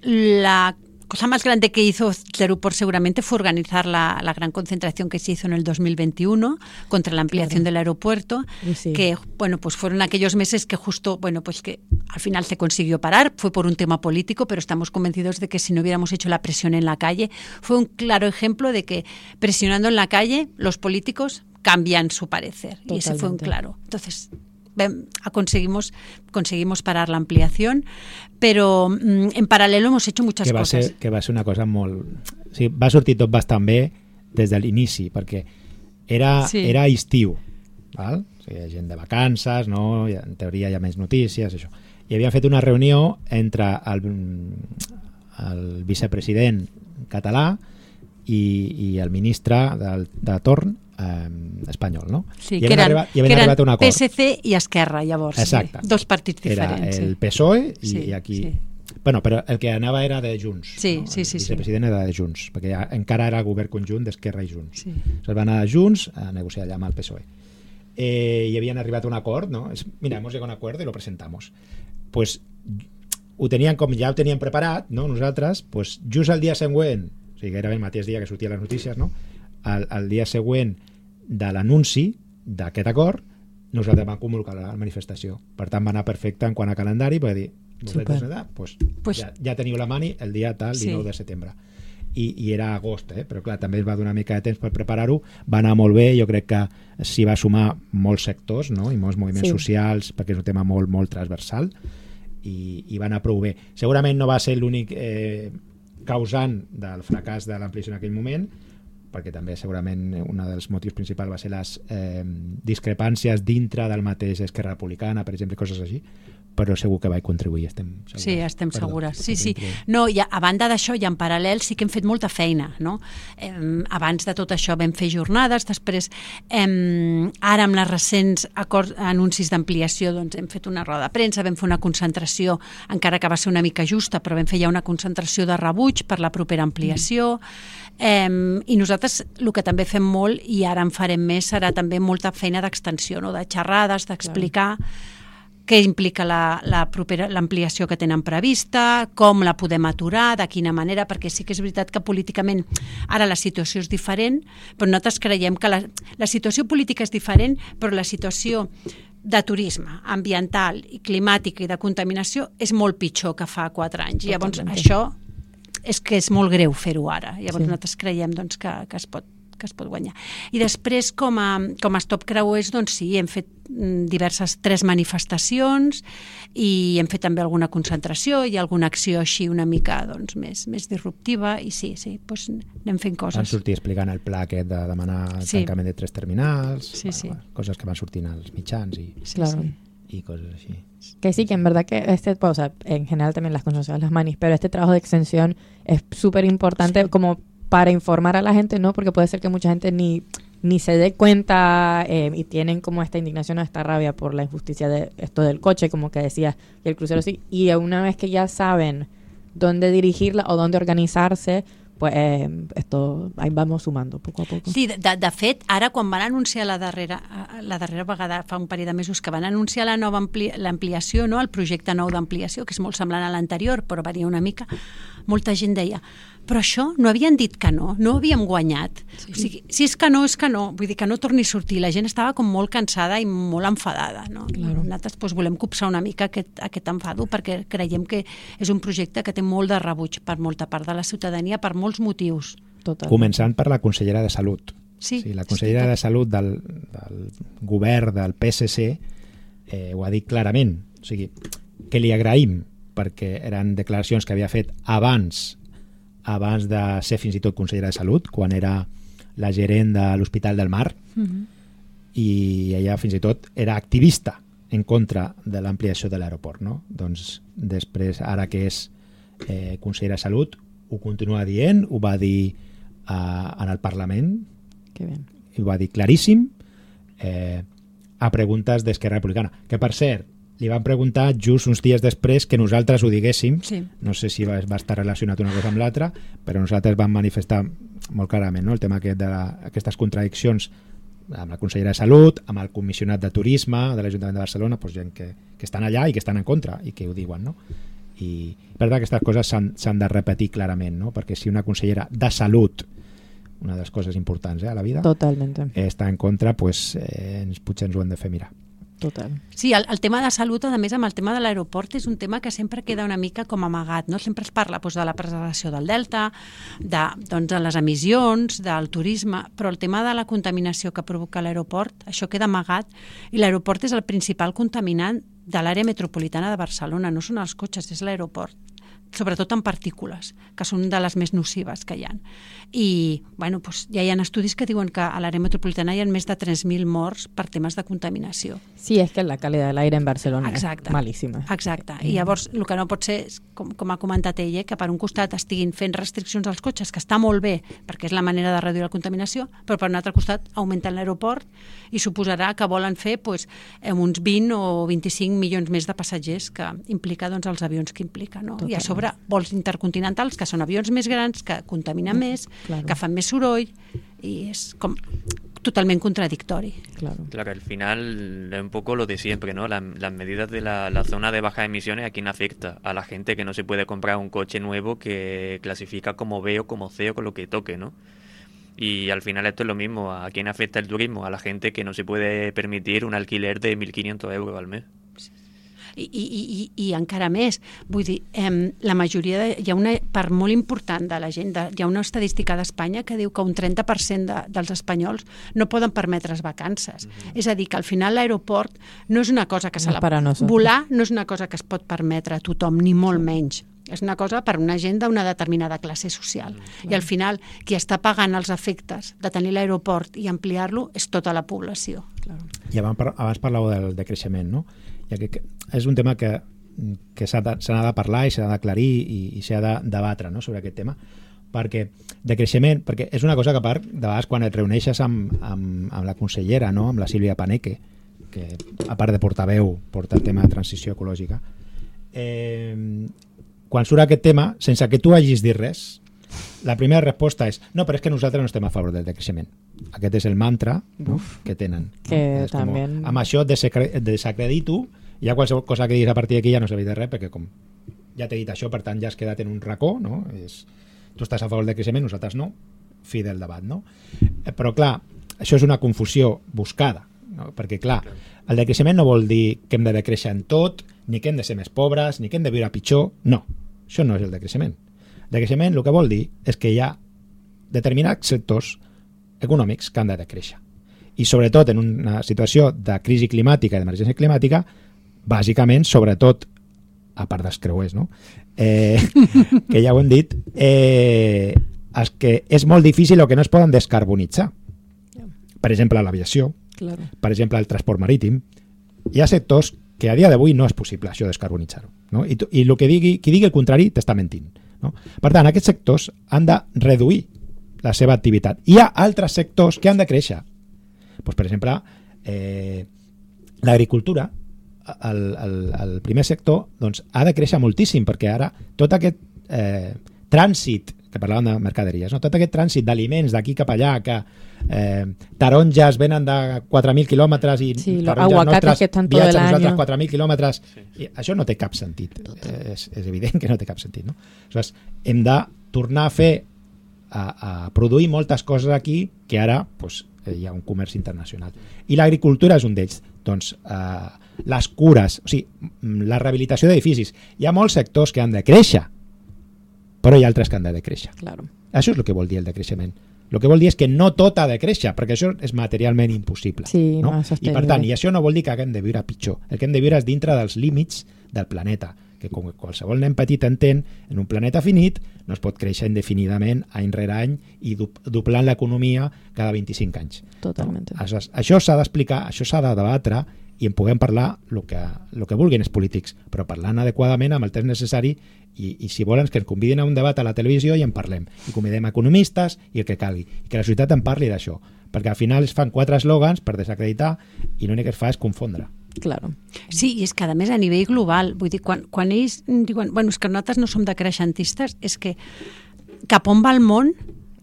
la cosa más grande que hizo Zeroport seguramente fue organizar la, la gran concentración que se hizo en el dos mil veintiuno contra la ampliación Claro. del aeropuerto, Sí. que bueno, pues fueron aquellos meses que justo, bueno, pues que al final se consiguió parar, fue por un tema político, pero estamos convencidos de que si no hubiéramos hecho la presión en la calle, fue un claro ejemplo de que presionando en la calle los políticos cambian su parecer. Y ese fue un Totalmente. claro. Entonces, ven, conseguimos conseguimos parar la ampliación, però mm, en paral·lel hemos hecho muchas que va cosas. ser, que va ser una cosa molt... O sigui, va sortir tot bastant bé des de l'inici, perquè era, Sí. era estiu, val? O sigui, hi ha gent de vacances, no? I en teoria hi ha més notícies, això. I havien fet una reunió entre el, el vicepresident català i, i el ministre del, de torn eh, espanyol, no? Sí, I que havien eren, arribat, i que havien eren arribat a un acord. P S C i Esquerra, llavors. Exacte. Sí. Dos partits Era diferents. el sí. P S O E i, Sí, i aquí... sí. Bueno, però el que anava era de Junts. Sí, no? sí, sí, El sí. vicepresident era de Junts, perquè ja, encara era el govern conjunt d'Esquerra i Junts. Sí. Se'ls van anar a Junts a negociar allà amb el P S O E. Eh, I havien arribat a un acord, ¿no? Es, mira, hemos llegado a un acuerdo y lo presentamos. Pues ho tenien com ja ho teníem preparat, no? Nosaltres, pues just el dia següent, o sigui, gairebé el mateix dia que sortien les notícies, no? El, el dia següent de l'anunci d'aquest acord, nosaltres vam convocar la manifestació. Per tant, va anar perfecte en quant a calendari, per dir, vosaltres, Super. pues, Pues- ja, ja teniu la mani el dia tal, Sí. dinou de setembre. I, i era agost, eh? Però clar, també es va donar una mica de temps per preparar-ho, va anar molt bé, jo crec que s'hi va sumar molts sectors, no? I molts moviments Sí. socials, perquè és un tema molt, molt transversal, i, i va anar prou bé. Segurament no va ser l'únic eh, causant del fracàs de l'ampliació en aquell moment, perquè també segurament un dels motius principals va ser les eh, discrepàncies dintre del mateix Esquerra Republicana, per exemple, coses així, però segur que vaig contribuir, estem segures. Sí, estem Perdó, segures. Sí, estem sí. contribuint. No, i a, a banda d'això, i en paral·lel, sí que hem fet molta feina, no? Eh, abans de tot això vam fer jornades, després, eh, ara amb les recents acords, anuncis d'ampliació, doncs hem fet una roda de premsa, vam fer una concentració, encara que va ser una mica justa, però vam fer ja una concentració de rebuig per la propera ampliació, eh, i nosaltres el que també fem molt, i ara en farem més, serà també molta feina d'extensió, no? De xerrades, d'explicar què implica la, la propera l'ampliació que tenen prevista, com la podem aturar, de quina manera, perquè sí que és veritat que políticament ara la situació és diferent, però nosaltres creiem que la, la situació política és diferent, però la situació de turisme, ambiental i climàtica i de contaminació és molt pitjor que fa quatre anys. Llavors, Totalment. això és que és molt greu fer-ho ara. Llavors, Sí. nosaltres creiem doncs, que, que es pot que es pot guanyar. I després, com a, com a Stop Creuers, doncs sí, hem fet mm, diverses, tres manifestacions i hem fet també alguna concentració i alguna acció així una mica doncs, més, més disruptiva i sí, sí, doncs anem fent Van coses. sortir explicant el pla aquest de demanar el Sí. tancament de tres terminals, Sí, sí. bueno, coses que van sortint als mitjans i, Sí, Claro. sí. i coses així. Que sí, que en verdad que este, pues, o sea, en general también las conocemos las manis, pero este trabajo de extensión es súper importante Sí. como para informar a la gente, ¿no? Porque puede ser que mucha gente ni, ni se dé cuenta eh, y tienen como esta indignación o esta rabia por la injusticia de esto del coche, como que decías, y el crucero sí. Y una vez que ya saben dónde dirigirla o dónde organizarse, pues eh, esto ahí vamos sumando poco a poco. Sí, de, de fet, ara quan van anunciar la darrera, la darrera vegada, fa un parell de mesos, que van anunciar la nova ampli, l'ampliació, no? El projecte nou d'ampliació, que és molt semblant a l'anterior, però varia una mica, molta gent deia, però això no havien dit que no, no havíem guanyat. Sí. O sigui, si és que no, és que no, vull dir que no torni a sortir. La gent estava com molt cansada i molt enfadada, no? Claro. Nosaltres doncs, volem copsar una mica aquest, aquest enfado perquè creiem que és un projecte que té molt de rebuig per molta part de la ciutadania per molts motius. Total. Començant per la consellera de Salut. Sí, sí, la consellera sí, de Salut del, del govern del P S C eh, ho ha dit clarament. O sigui, que li agraïm perquè eren declaracions que havia fet abans abans de ser fins i tot consellera de Salut, quan era la gerent de l'Hospital del Mar, Mm-hmm. i ella fins i tot era activista en contra de l'ampliació de l'aeroport, no? Doncs després, ara que és eh, consellera de Salut, ho continua dient, ho va dir eh, en el Parlament, Que bé. i ho va dir claríssim, eh, a preguntes d'Esquerra Republicana. Que, per cert, li van preguntar just uns dies després que nosaltres ho diguéssim. Sí. No sé si va, va estar relacionat una cosa amb l'altra, però nosaltres vam manifestar molt clarament, no?, el tema aquest de la, aquestes contradiccions amb la consellera de Salut, amb el comissionat de Turisme de l'Ajuntament de Barcelona, doncs gent que, que estan allà i que estan en contra i que ho diuen, no? I per tant aquestes coses s'han de repetir clarament, no? Perquè si una consellera de Salut, una de les coses importants eh, a la vida, Totalmente. eh, està en contra, pues, eh, ens, potser ens ho hem de fer mirar. Total. Sí, el, el tema de salut, a més, amb el tema de l'aeroport, és un tema que sempre queda una mica com amagat, no? Sempre es parla doncs, de la preservació del delta, de, doncs, de les emissions, del turisme, però el tema de la contaminació que provoca l'aeroport, això queda amagat, i l'aeroport és el principal contaminant de l'àrea metropolitana de Barcelona, no són els cotxes, és l'aeroport, sobretot en partícules, que són de les més nocives que hi ha. I bueno, doncs, ja hi ha estudis que diuen que a l'àrea metropolitana hi ha més de tres mil morts per temes de contaminació. Sí, és que la calidad del aire en Barcelona Exacte. és malíssima. Exacte. I llavors el que no pot ser, és, com, com ha comentat ella, que per un costat estiguin fent restriccions als cotxes, que està molt bé, perquè és la manera de reduir la contaminació, però per un altre costat augmenten l'aeroport i suposarà que volen fer doncs, uns vint o vint-i-cinc milions més de passatgers, que implica doncs, els avions que implica. No? I a sobre vols intercontinentals, que són avions més grans, que contaminen més, Claro. que fan més soroll, i és com totalmente contradictorio. Claro. Claro, al final es un poco lo de siempre, ¿no? La- las medidas de la, la zona de bajas emisiones, ¿a quién afecta? A la gente que no se puede comprar un coche nuevo que clasifica como B o como C o con lo que toque, ¿no? Y al final esto es lo mismo. ¿A quién afecta el turismo? A la gente que no se puede permitir un alquiler de mil quinientos euros al mes. I, i, i, i encara més, vull dir, eh, la majoria, de, hi ha una part molt important de la gent, de, hi ha una estadística d'Espanya que diu que un trenta per cent de, dels espanyols no poden permetre's vacances. Mm-hmm. És a dir, que al final l'aeroport no és una cosa que se No la... és per a nosaltres. Volar no és una cosa que es pot permetre a tothom, ni molt menys. És una cosa per una gent d'una determinada classe social. Mm, I al final, qui està pagant els efectes de tenir l'aeroport i ampliar-lo és tota la població. Claro. I abans, par- abans parlàveu del decreixement, no? Ja que, que és un tema que, que s'ha de, s'ha de parlar i s'ha d'aclarir i, i s'ha de debatre, no?, sobre aquest tema, perquè de creixement, perquè és una cosa que a part, de vegades quan et reuneixes amb, amb, amb la consellera, no?, amb la Sílvia Paneque, que a part de portaveu porta el tema de transició ecològica, eh, quan surt aquest tema, sense que tu hagis dit res, la primera resposta és no, però és que nosaltres no estem a favor del decreixement. Aquest és el mantra, no?, que tenen. No? Que És com, també... amb això desacre- desacredito, i ja qualsevol cosa que diguis a partir d'aquí ja no serveix de res, perquè com ja t'he dit això, per tant ja has quedat en un racó, no? És, tu estàs a favor del creixement, nosaltres no, fi del debat, no? Eh, Però clar, això és una confusió buscada, no? Perquè clar, el decreixement no vol dir que hem de decréixer en tot, ni que hem de ser més pobres, ni que hem de viure pitjor, no, això no és el decreixement. El decreixement el que vol dir és que hi ha determinats sectors econòmics que han de decréixer. I sobretot en una situació de crisi climàtica i d'emergència climàtica, bàsicament, sobretot, a part dels creuers, no?, eh, que ja ho hem dit, eh, és que és molt difícil o que no es poden descarbonitzar. Per exemple, l'aviació, Claro. per exemple, el transport marítim. Hi ha sectors que a dia d'avui no és possible això descarbonitzar-ho, no? I, tu, i el que digui, qui digui el contrari t'està mentint, no? Per tant, aquests sectors han de reduir la seva activitat. Hi ha altres sectors que han de créixer. Pues, per exemple, eh, l'agricultura, el, el, el primer sector, doncs, ha de créixer moltíssim, perquè ara tot aquest eh, trànsit que parlaven de mercaderies, no? Tot aquest trànsit d'aliments d'aquí cap allà, que eh, taronges venen de quatre mil quilòmetres i sí, taronges nostres que estan viatgen todo el nosaltres año. quatre mil quilòmetres. Sí, sí. I això no té cap sentit. Eh, és, és evident que no té cap sentit. No? Aleshores, hem de tornar a fer, a, a produir moltes coses aquí que ara pues, hi ha un comerç internacional. I l'agricultura és un d'ells. Doncs eh, les cures, o sigui, la rehabilitació d'edificis. Hi ha molts sectors que han de créixer, però hi ha altres que han de decréixer. Claro. Això és el que vol dir el decreixement. El que vol dir és que no tot ha de créixer, perquè això és materialment impossible. Sí, no? no és I per tant, i això no vol dir que haguem de viure pitjor. El que hem de viure és dintre dels límits del planeta, que com qualsevol nen petit entén, en un planeta finit no es pot créixer indefinidament any rere any i du doblant l'economia cada vint-i-cinc anys. Totalment. No? Això, això s'ha d'explicar, això s'ha de debatre i en puguem parlar el que, el que vulguin els polítics, però parlant adequadament amb el temps necessari i, i si volen que ens convidin a un debat a la televisió i en parlem. I convidem economistes i el que calgui. I que la societat en parli d'això. Perquè al final es fan quatre eslògans per desacreditar i l'únic que es fa és confondre. Claro. Sí, i és que a més a nivell global, vull dir, quan, quan ells diuen, bueno, és que nosaltres no som decreixentistes, és que cap on va el món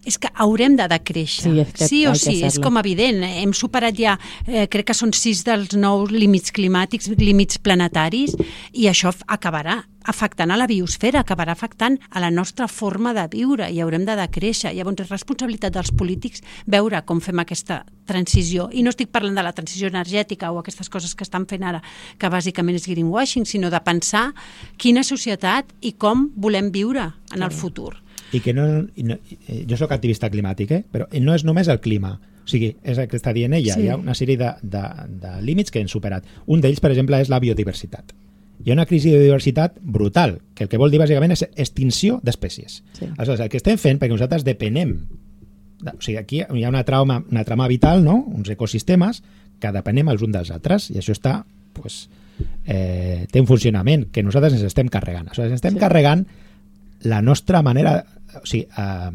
és que haurem de decréixer. Sí, és que sí o hay que sí, és hacerlo. com evident. Hem superat ja, eh, crec que són sis dels nous límits climàtics, límits planetaris, i això f- acabarà afectant a la biosfera, acabarà afectant a la nostra forma de viure i haurem de decréixer. Llavors és responsabilitat dels polítics veure com fem aquesta transició. I no estic parlant de la transició energètica o aquestes coses que estan fent ara, que bàsicament és greenwashing, sinó de pensar quina societat i com volem viure en el futur. I que no, i no eh, jo sóc activista climàtic, eh? Però no és només el clima, o sigui, és el que està dient ella, Sí. hi ha una sèrie de, de, de límits que hem superat. Un d'ells, per exemple, és la biodiversitat. Hi ha una crisi de biodiversitat brutal, que el que vol dir bàsicament és extinció d'espècies. Sí. Aleshores, el que estem fent, perquè nosaltres depenem, de, o sigui, aquí hi ha una trama, una trama vital, no? Uns ecosistemes que depenem els uns dels altres, i això està, pues, eh, té un funcionament que nosaltres ens estem carregant. Aleshores, ens estem Sí. carregant la nostra manera, o sigui, eh,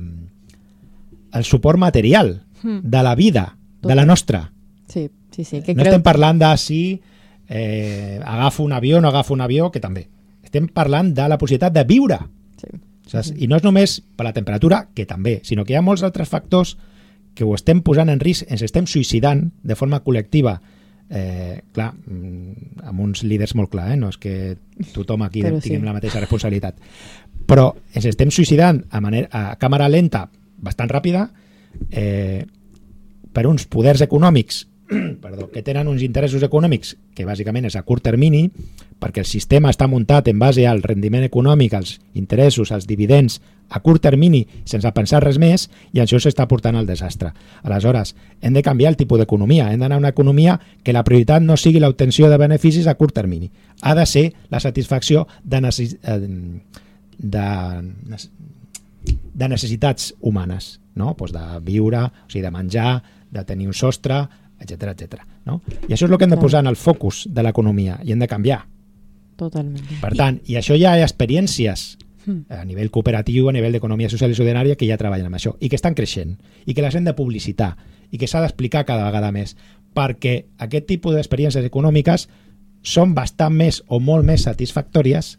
el suport material Mm. de la vida, de la nostra. Sí, sí, sí. Que No creo... estem parlant de si eh, agafo un avió o no agafo un avió, que també. Estem parlant de la possibilitat de viure. Sí. Saps? I no és només per la temperatura, que també, sinó que hi ha molts altres factors que ho estem posant en risc, ens estem suïcidant de forma col·lectiva. Eh, clar, mm, amb uns líders molt clar, eh? No és que tothom aquí Però tinguem sí. la mateixa responsabilitat. Però ens estem suïcidant a, manera, a càmera lenta bastant ràpida eh, per uns poders econòmics perdó, que tenen uns interessos econòmics que bàsicament és a curt termini, perquè el sistema està muntat en base al rendiment econòmic, als interessos, als dividends a curt termini, sense pensar res més, i això s'està portant al desastre. Aleshores, hem de canviar el tipus d'economia, hem d'anar a una economia que la prioritat no sigui l'obtenció de beneficis a curt termini. Ha de ser la satisfacció de, necess... de... de necessitats humanes, no? Pues de viure, o sigui, de menjar, de tenir un sostre, etcètera, etcètera. No? I això és el que hem de Clar. posar en el focus de l'economia i hem de canviar. Totalment. Per tant, i això ja hi ha experiències a nivell cooperatiu, a nivell d'economia social i solidarària que ja treballen amb això i que estan creixent i que les hem de publicitar i que s'ha d'explicar cada vegada més, perquè aquest tipus d'experiències econòmiques són bastant més o molt més satisfactòries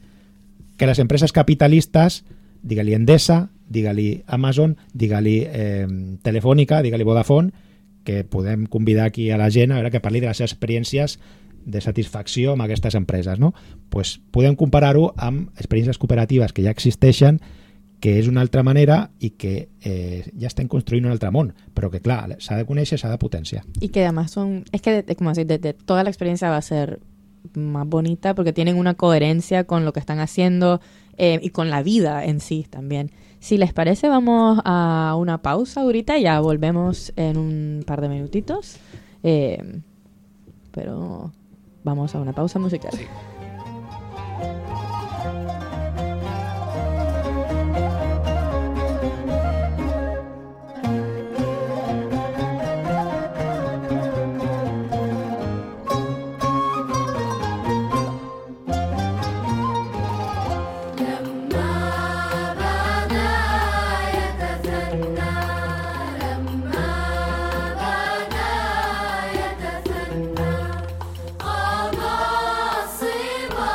que les empreses capitalistes, digue-li Endesa, digue-li Amazon, digue-li eh, Telefònica, digue-li Vodafone, que podem convidar aquí a la gent a veure que parli de les seves experiències de satisfacció amb aquestes empreses, no? Pues podem comparar-ho amb experiències cooperatives que ja existeixen, que és una altra manera i que eh, ja estem construint un altre món, però que clar, s'ha de conèixer, s'ha de potenciar. Y que además son, es que de- como decir, de, de toda la experiencia va a ser más bonita porque tienen una coherencia con lo que están haciendo eh, y con la vida en sí también. Si les parece, vamos a una pausa ahorita, ya volvemos en un par de minutitos, eh, pero vamos a una pausa musical. قضى الصبا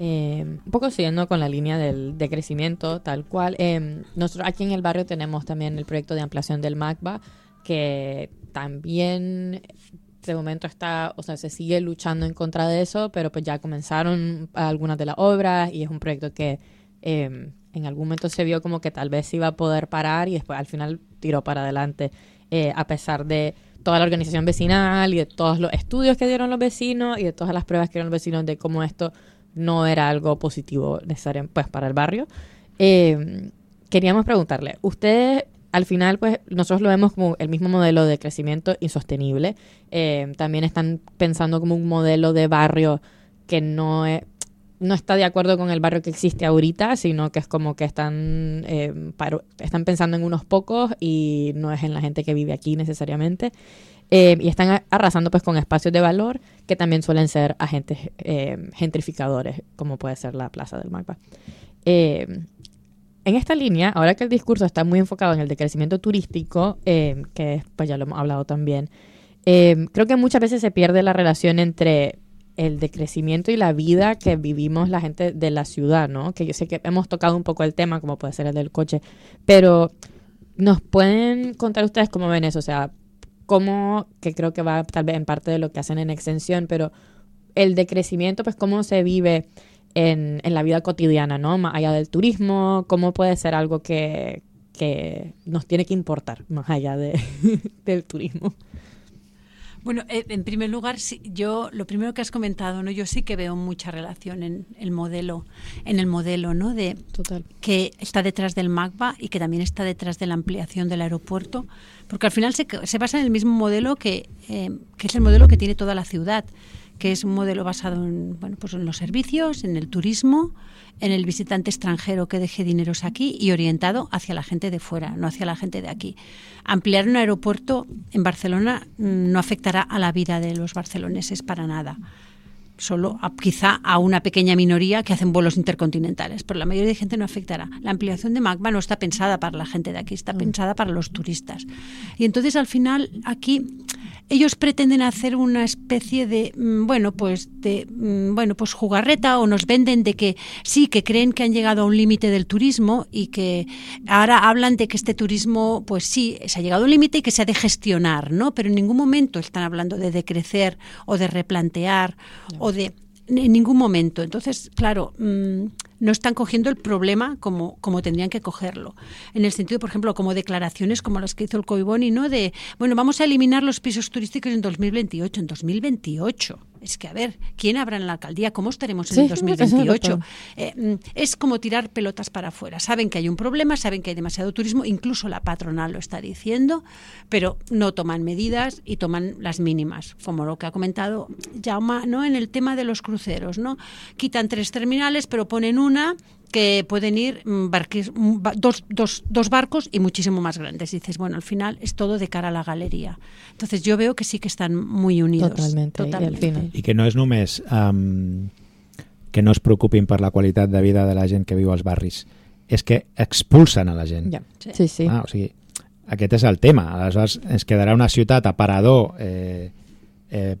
Eh, un poco siguiendo con la línea del de crecimiento, tal cual. Eh, nosotros aquí en el barrio tenemos también el proyecto de ampliación del MACBA, que también de momento está, o sea, se sigue luchando en contra de eso, pero pues ya comenzaron algunas de las obras y es un proyecto que eh, en algún momento se vio como que tal vez se iba a poder parar y después al final tiró para adelante, eh, a pesar de toda la organización vecinal y de todos los estudios que dieron los vecinos y de todas las pruebas que dieron los vecinos de cómo esto no era algo positivo necesario pues para el barrio. Eh, queríamos preguntarle, ustedes al final pues nosotros lo vemos como el mismo modelo de crecimiento insostenible, eh, también están pensando como un modelo de barrio que no es, no está de acuerdo con el barrio que existe ahorita, sino que es como que están, eh, paro, están pensando en unos pocos y no es en la gente que vive aquí necesariamente. Eh, y están arrasando pues con espacios de valor que también suelen ser agentes eh, gentrificadores, como puede ser la Plaza del MACBA. Eh, en esta línea, ahora que el discurso está muy enfocado en el decrecimiento turístico, eh, que pues ya lo hemos hablado también, eh, creo que muchas veces se pierde la relación entre el decrecimiento y la vida que vivimos la gente de la ciudad, ¿no? Que yo sé que hemos tocado un poco el tema, como puede ser el del coche, pero ¿nos pueden contar ustedes cómo ven eso? O sea, cómo, que creo que va tal vez en parte de lo que hacen en extensión, pero el decrecimiento, pues cómo se vive en, en la vida cotidiana, ¿no? Más allá del turismo, cómo puede ser algo que, que nos tiene que importar más allá de, del turismo. Bueno, eh, en primer lugar, sí, yo lo primero que has comentado, ¿no? Yo sí que veo mucha relación en el modelo, en el modelo, ¿no? De Total. Que está detrás del MACBA y que también está detrás de la ampliación del aeropuerto, porque al final se, se basa en el mismo modelo que, eh, que es el modelo que tiene toda la ciudad, que es un modelo basado en, bueno, pues en los servicios, en el turismo, en el visitante extranjero que deje dineros aquí y orientado hacia la gente de fuera, no hacia la gente de aquí. Ampliar un aeropuerto en Barcelona no afectará a la vida de los barceloneses para nada. Solo a, quizá a una pequeña minoría que hacen vuelos intercontinentales, pero la mayoría de gente no afectará. La ampliación de MACBA no está pensada para la gente de aquí, está pensada para los turistas. Y entonces al final aquí ellos pretenden hacer una especie de, bueno, pues de, bueno, pues jugarreta, o nos venden de que sí, que creen que han llegado a un límite del turismo y que ahora hablan de que este turismo, pues sí, se ha llegado a un límite y que se ha de gestionar, ¿no? Pero en ningún momento están hablando de decrecer o de replantear no. o de en ningún momento. Entonces, claro, mmm, no están cogiendo el problema como, como tendrían que cogerlo. En el sentido, por ejemplo, como declaraciones como las que hizo el Collboni, ¿no? De, bueno, vamos a eliminar los pisos turísticos en dos mil veintiocho. En dos mil veintiocho. Es que, a ver, ¿quién habrá en la alcaldía? ¿Cómo estaremos en sí, el dos mil veintiocho? Eh, es como tirar pelotas para afuera. Saben que hay un problema, saben que hay demasiado turismo, incluso la patronal lo está diciendo, pero no toman medidas y toman las mínimas, como lo que ha comentado Jaume, ¿no? En el tema de los cruceros, ¿no? Quitan tres terminales, pero ponen una que pueden ir barquis, dos, dos, dos barcos y muchísimo más grandes. Y dices, bueno, al final es todo de cara a la galería. Entonces yo veo que sí que están muy unidos. Totalmente. Totalmente. I, al final. I que no és només um, que no es preocupin per la qualitat de vida de la gent que viu als barris, és que expulsen a la gent. Ja. Sí, sí. Ah, o sigui, aquest és el tema. Aleshores ens quedarà una ciutat aparador, eh, eh,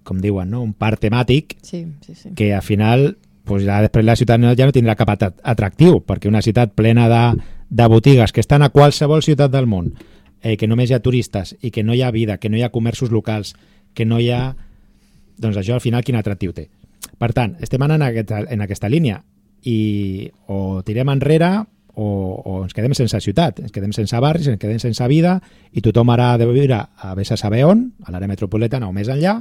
com diuen, no? Un parc temàtic, sí, sí, sí. que al final pues ja després la ciutat ja no tindrà cap atractiu, perquè una ciutat plena de, de botigues que estan a qualsevol ciutat del món, eh, que només hi ha turistes i que no hi ha vida, que no hi ha comerços locals, que no hi ha... Doncs això al final quin atractiu té. Per tant, estem anant en aquesta, en aquesta línia i o tirem enrere o, o ens quedem sense ciutat, ens quedem sense barris, ens quedem sense vida i tothom ara ha de viure a vés a saber on, a l'àrea metropolitana o més enllà,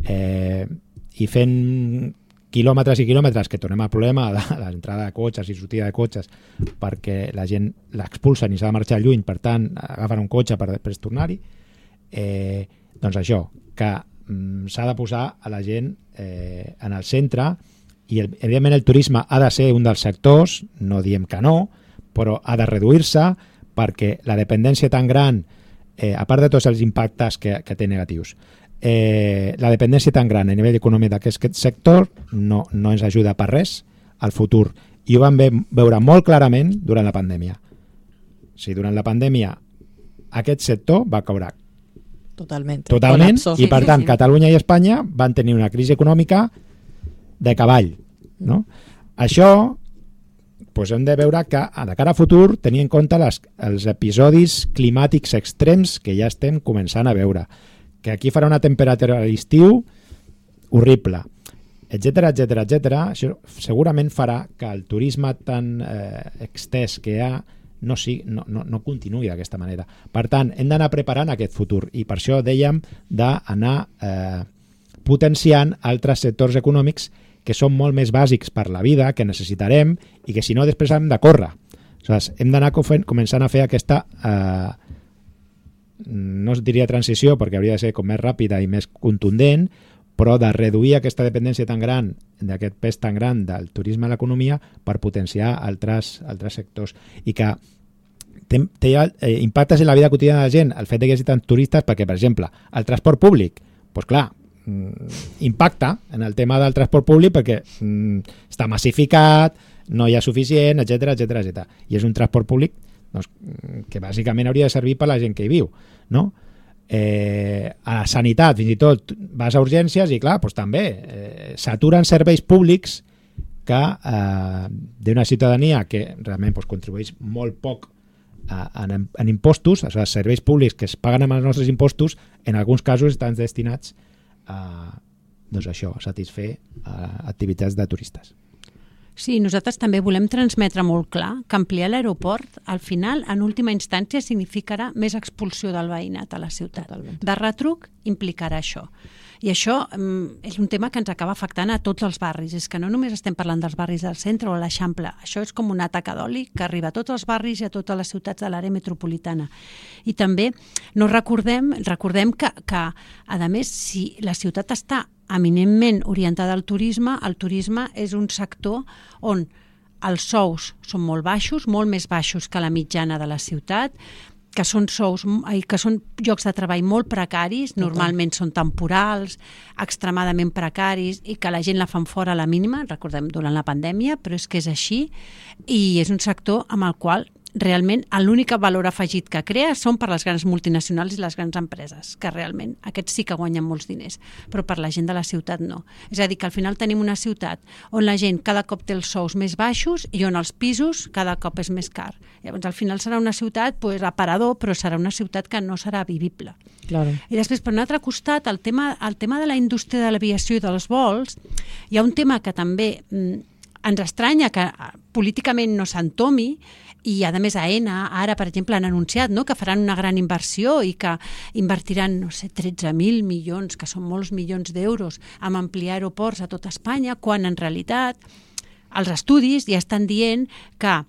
eh, i fent quilòmetres i quilòmetres, que tornem al problema de l'entrada de cotxes i sortida de cotxes perquè la gent l'expulsen i s'ha de marxar lluny, per tant agafen un cotxe per després tornar-hi, eh, doncs això, que mm, s'ha de posar a la gent eh, en el centre i el, evidentment el turisme ha de ser un dels sectors, no diem que no, però ha de reduir-se perquè la dependència tan gran, eh, a part de tots els impactes que, que té negatius, Eh, la dependència tan gran a nivell econòmic d'aquest sector no, no ens ajuda per res al futur, i ho vam veure molt clarament durant la pandèmia. O sigui, durant la pandèmia aquest sector va caure totalment, totalment colapso. I per sí, tant sí, sí. Catalunya i Espanya van tenir una crisi econòmica de cavall, no? Això doncs hem de veure que de cara a futur tenir en compte les, els episodis climàtics extrems que ja estem començant a veure, que aquí farà una temperatura a l'estiu horrible, etcètera, etcètera, etcètera. Això segurament farà que el turisme tan eh, extès que hi ha no, sí, no, no, no continuï d'aquesta manera. Per tant, hem d'anar preparant aquest futur i per això dèiem d'anar eh, potenciant altres sectors econòmics que són molt més bàsics per la vida, que necessitarem i que si no després hem de córrer. Aleshores, hem d'anar començant a fer aquesta, eh, no es diria transició perquè hauria de ser com més ràpida i més contundent, però de reduir aquesta dependència tan gran, d'aquest pes tan gran del turisme a l'economia per potenciar altres, altres sectors. I que té, té eh, impactes en la vida quotidiana de la gent el fet que hi hagi tants turistes perquè, per exemple, el transport públic, doncs clar, impacta en el tema del transport públic perquè mm, està massificat, no hi ha suficient, etcètera, etcètera, etcètera. I és un transport públic doncs, que bàsicament hauria de servir per la gent que hi viu, no? Eh, a la sanitat, fins i tot vas a urgències i clar, doncs també eh, s'aturen serveis públics que eh, d'una ciutadania que realment doncs, contribueix molt poc a, en, en impostos, els serveis públics que es paguen amb els nostres impostos, en alguns casos estan destinats a, doncs això, a satisfer a activitats de turistes. Sí, nosaltres també volem transmetre molt clar que ampliar l'aeroport, al final, en última instància, significarà més expulsió del veïnat a la ciutat. Totalment. De retruc implicarà això. I això um, és un tema que ens acaba afectant a tots els barris. És que no només estem parlant dels barris del centre o l'Eixample. Això és com una taca d'oli que arriba a tots els barris i a totes les ciutats de l'àrea metropolitana. I també no recordem, recordem que, que, a més, si la ciutat està eminentment orientada al turisme, el turisme és un sector on els sous són molt baixos, molt més baixos que la mitjana de la ciutat, que són sous, que són llocs de treball molt precaris, normalment són temporals, extremadament precaris i que la gent la fan fora a la mínima, recordem durant la pandèmia, però és que és així i és un sector amb el qual realment l'únic valor afegit que crea són per les grans multinacionals i les grans empreses, que realment aquests sí que guanyen molts diners, però per la gent de la ciutat no. És a dir, que al final tenim una ciutat on la gent cada cop té els sous més baixos i on els pisos cada cop és més car. Llavors al final serà una ciutat pues, aparador, però serà una ciutat que no serà vivible. Claro. I després, per un altre costat, el tema, el tema de la indústria de l'aviació i dels vols, hi ha un tema que també mm, ens estranya que políticament no s'entomi, i a més AENA ara, per exemple, han anunciat no, que faran una gran inversió i que invertiran, no sé, tretze mil milions, que són molts milions d'euros, en ampliar aeroports a tot Espanya, quan en realitat els estudis ja estan dient que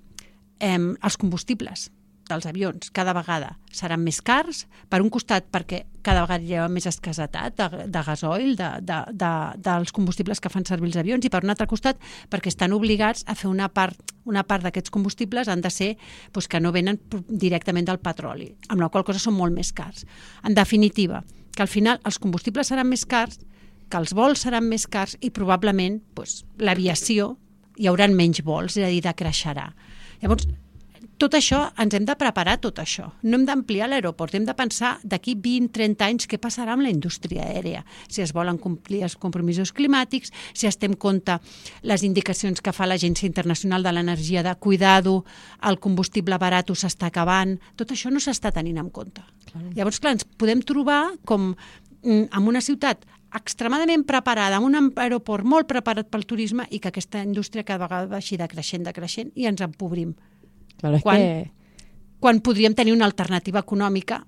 eh, els combustibles dels avions cada vegada seran més cars, per un costat perquè cada vegada hi ha més escassetat de, de gasoil, de, de, de, dels combustibles que fan servir els avions, i per un altre costat perquè estan obligats a fer una part, una part d'aquests combustibles han de ser doncs, que no venen directament del petroli, amb la qual cosa són molt més cars. En definitiva, que al final els combustibles seran més cars, que els vols seran més cars i probablement doncs, l'aviació hi haurà menys vols, és a dir, decreixerà. Llavors, tot això, ens hem de preparar tot això. No hem d'ampliar l'aeroport, hem de pensar d'aquí vint a trenta anys què passarà amb la indústria aèria, si es volen complir els compromisos climàtics, si es té en compte les indicacions que fa l'Agència Internacional de l'Energia de cuidado, el combustible barat s'està acabant, tot això no s'està tenint en compte. Clar. Llavors, clar, ens podem trobar com en una ciutat extremadament preparada, amb un aeroport molt preparat pel turisme i que aquesta indústria cada vegada vagi decreixent, decreixent i ens empobrim. Claro, es quan, que... quan podríem tenir una alternativa econòmica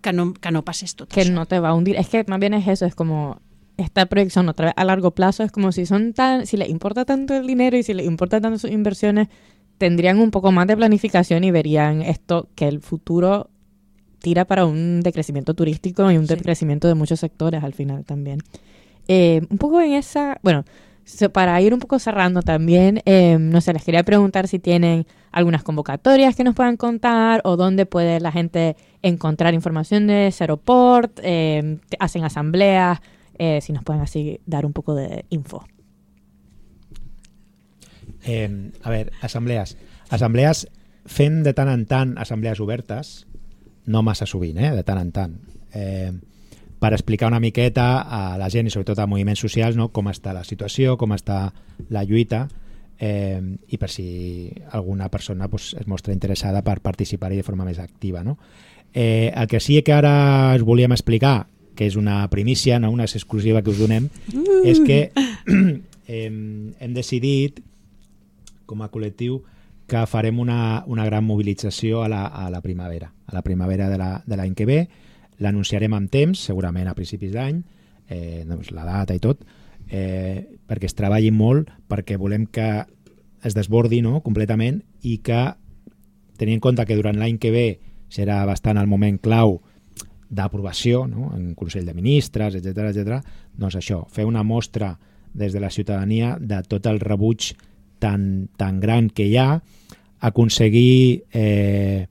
que no, que no pasés tot que eso. Que no te va a hundir. Es que más bien es eso, es como esta proyección otra vez a largo plazo, es como si son tan, si les importa tanto el dinero y si les importa tanto sus inversiones, tendrían un poco más de planificación y verían esto, que el futuro tira para un decrecimiento turístico y un sí. decrecimiento de muchos sectores al final también. Eh, un poco en esa, bueno, para ir un poco cerrando también, eh, no sé, les quería preguntar si tienen algunas convocatorias que nos puedan contar o dónde puede la gente encontrar información de Seroport, eh, hacen asambleas, eh, si nos pueden así dar un poco de info. Eh, a ver, assemblees. Assemblees fent de tant en tant assemblees obertes, no massa sovint, eh, de tant en tant. Eh, per explicar una miqueta a la gent i sobretot a moviments socials, no, com està la situació, com està la lluita, eh, i per si alguna persona pues, es mostra interessada per participar-hi de forma més activa. No? Eh, el que sí que ara us volíem explicar, que és una primícia, no? Una exclusiva que us donem, uh. és que eh, hem decidit, com a col·lectiu, que farem una, una gran mobilització a la, a la primavera. A la primavera de l'any la, que ve, l'anunciarem amb temps, segurament a principis d'any, eh, doncs la data i tot, eh, perquè es treballi molt, perquè volem que es desbordi, no?, completament, i que, tenint en compte que durant l'any que ve serà bastant el moment clau d'aprovació, no?, en Consell de Ministres, etcètera, etcètera, doncs això, fer una mostra des de la ciutadania de tot el rebuig tan, tan gran que hi ha, aconseguir eh,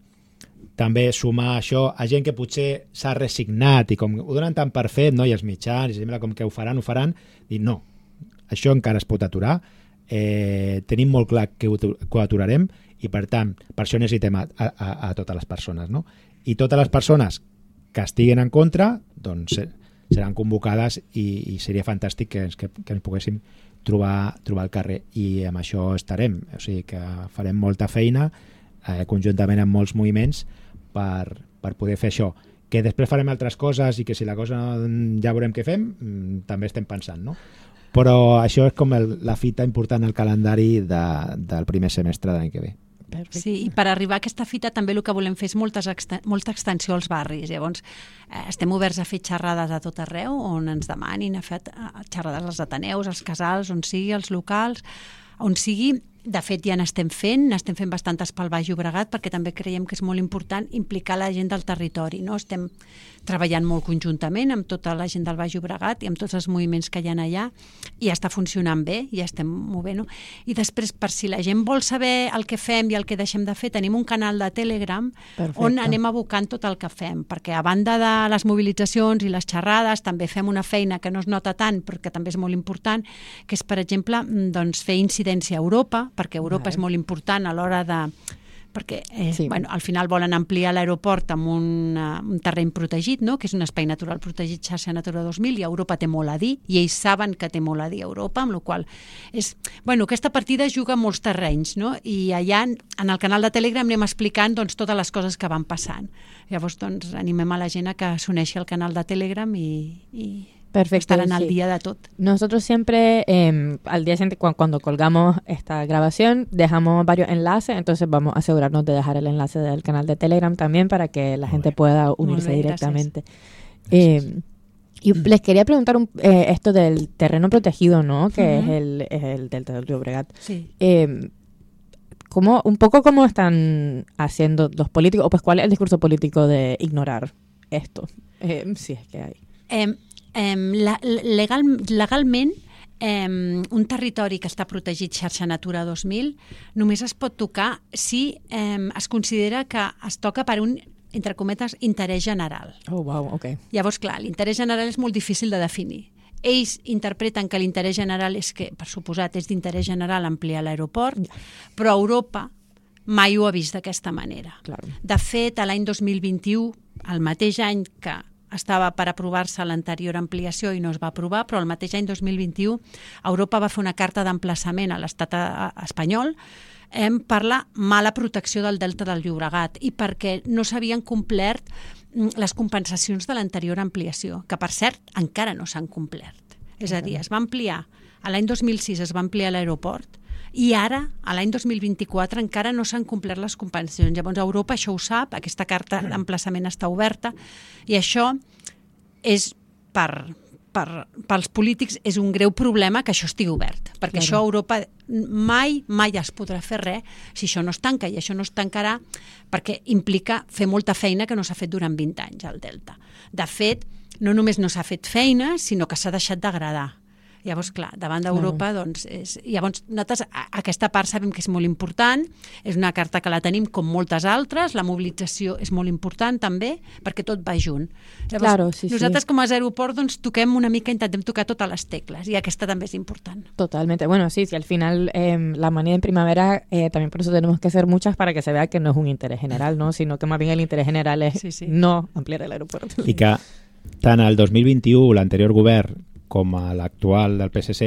també sumar això a gent que potser s'ha resignat i com ho donen tan per fet, no? I els mitjans, i sembla com que ho faran, ho faran, i no, això encara es pot aturar, eh, tenim molt clar que ho, que ho aturarem i per tant, per això necessitem a, a, a totes les persones, no? I totes les persones que estiguen en contra, doncs seran convocades i, i seria fantàstic que ens, que, que ens poguéssim trobar, trobar al carrer i amb això estarem, o sigui que farem molta feina eh, conjuntament amb molts moviments per, per poder fer això, que després farem altres coses i que si la cosa ja veurem què fem, també estem pensant, no? Però això és com el, la fita important al calendari de, del primer semestre de l'any que ve. Perfecte. Sí, i per arribar a aquesta fita també el que volem fer és moltes exten molta extensió als barris. Llavors, eh, estem oberts a fer xerrades a tot arreu, on ens demanin a fer xerrades als ateneus, als casals, on sigui, als locals, on sigui. De fet, ja n'estem fent, n'estem fent bastantes pel Baix Llobregat, perquè també creiem que és molt important implicar la gent del territori. No? Estem treballant molt conjuntament amb tota la gent del Baix Llobregat i amb tots els moviments que hi ha allà, i ja està funcionant bé, ja estem movent. No? I després, per si la gent vol saber el que fem i el que deixem de fer, tenim un canal de Telegram. Perfecte. On anem abocant tot el que fem, perquè a banda de les mobilitzacions i les xerrades, també fem una feina que no es nota tant, però que també és molt important, que és, per exemple, doncs, fer incidència a Europa, perquè Europa vale. És molt important a l'hora de... perquè eh, sí. bueno, al final volen ampliar l'aeroport amb un, uh, un terreny protegit, no? Que és un espai natural protegit, xarxa Natura dos mil, i Europa té molt a dir, i ells saben que té molt a dir Europa, amb la qual és... Bueno, aquesta partida juga en molts terrenys, no? I allà, en el canal de Telegram, anem explicant doncs, totes les coses que van passant. Llavors, doncs, animem a la gent a que s'uneixi al canal de Telegram i... i... Perfecto, estarán al sí. día de todo. Nosotros siempre, eh, al día siguiente, cuando, cuando colgamos esta grabación, dejamos varios enlaces, entonces vamos a asegurarnos de dejar el enlace del canal de Telegram también para que la Muy gente bien. Pueda unirse bien, directamente. Eh, y les quería preguntar un, eh, esto del terreno protegido, ¿no? Que uh-huh. es el, es el Delta del Llobregat. Sí. Eh, ¿cómo, un poco cómo están haciendo los políticos, o pues cuál es el discurso político de ignorar esto? Eh, si es que hay. Eh, Eh, la, legal, legalment, eh, un territori que està protegit xarxa Natura dos mil només es pot tocar si eh, es considera que es toca per un, entre cometes, interès general. Oh, wow, ok. Llavors, clar, l'interès general és molt difícil de definir. Ells interpreten que l'interès general és que, per suposat, és d'interès general ampliar l'aeroport, yeah. però Europa mai ho ha vist d'aquesta manera. Claro. De fet, l'any dos mil vint-i-u, el mateix any que estava per aprovar-se l'anterior ampliació i no es va aprovar, però el mateix any dos mil vint-i-u Europa va fer una carta d'emplaçament a l'estat espanyol eh, per la mala protecció del Delta del Llobregat i perquè no s'havien complert les compensacions de l'anterior ampliació, que per cert encara no s'han complert. És a dir, es va ampliar, a l'any dos mil sis es va ampliar l'aeroport, i ara, a l'any dos mil vint-i-quatre, encara no s'han complert les compensacions. Llavors, Europa això ho sap, aquesta carta d'emplaçament està oberta, i això és per, per, pels polítics és un greu problema que això estigui obert, perquè claro. Això a Europa mai, mai es podrà fer res si això no es tanca, i això no es tancarà perquè implica fer molta feina que no s'ha fet durant vint anys al Delta. De fet, no només no s'ha fet feina, sinó que s'ha deixat d'agradar. Llavors, clar, davant d'Europa, claro. doncs, és... llavors, nosaltres, aquesta part sabem que és molt important, és una carta que la tenim com moltes altres, la mobilització és molt important també, perquè tot va junt. Llavors, claro, sí, nosaltres sí. com a aeroport doncs, toquem una mica, intentem tocar totes les tecles, i aquesta també és important. Totalmente. Bueno, sí, sí, al final eh, la manía en primavera, eh, también por eso tenemos que hacer muchas para que se vea que no es un interés general, ¿no? Sino que más bien el interés general es sí, sí. no ampliar el aeropuerto. I que tant el dos mil vint-i-u, l'anterior govern, com a l'actual del P S C,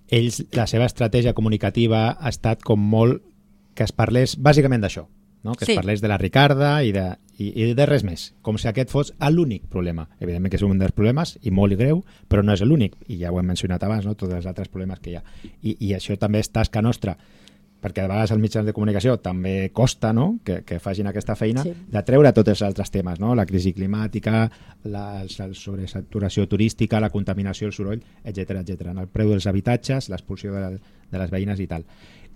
ells, la seva estratègia comunicativa ha estat com molt que es parlés bàsicament d'això, no? Que sí. Es parlés de la Ricarda i de, i, i de res més, com si aquest fos l'únic problema. Evidentment que és un dels problemes i molt greu, però no és l'únic, i ja ho hem mencionat abans, no? Tots els altres problemes que hi ha. I, i això també és tasca nostra, perquè a vegades els mitjans de comunicació també costa, no? que, que facin aquesta feina, sí. De treure tots els altres temes, no? La crisi climàtica, la, la sobresaturació turística, la contaminació, el soroll, etcètera, etcètera. El preu dels habitatges, l'expulsió de, de les veïnes i tal.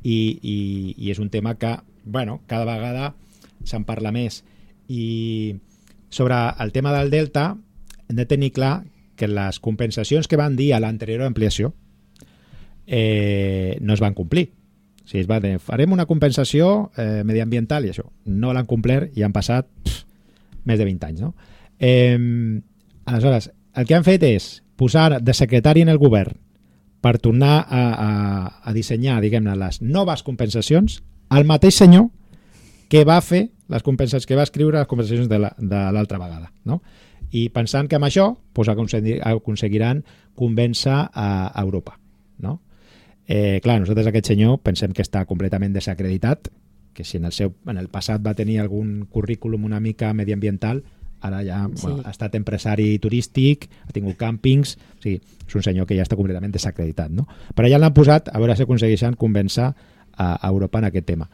I, i, i és un tema que, bueno, cada vegada se'n parla més. I sobre el tema del Delta hem de tenir clar que les compensacions que van dir a l'anterior ampliació eh, no es van complir. O sigui, es va dir, farem una compensació eh, mediambiental i això. No l'han complert i han passat pff, més de vint anys. No? Eh, aleshores, el que han fet és posar de secretari en el govern per tornar a, a, a dissenyar, diguem-ne, les noves compensacions al mateix senyor que va fer les compensacions, que va escriure les compensacions de l'altra la, vegada. No? I pensant que amb això pues, aconseguiran convèncer a, a Europa. No? Eh, clar, nosaltres aquest senyor pensem que està completament desacreditat, que si en el, seu, en el passat va tenir algun currículum una mica mediambiental, ara ja sí. Bueno, ha estat empresari turístic, ha tingut càmpings, o sigui, és un senyor que ja està completament desacreditat. No? Però ja l'han posat a veure si aconsegueixen convèncer a, a Europa en aquest tema,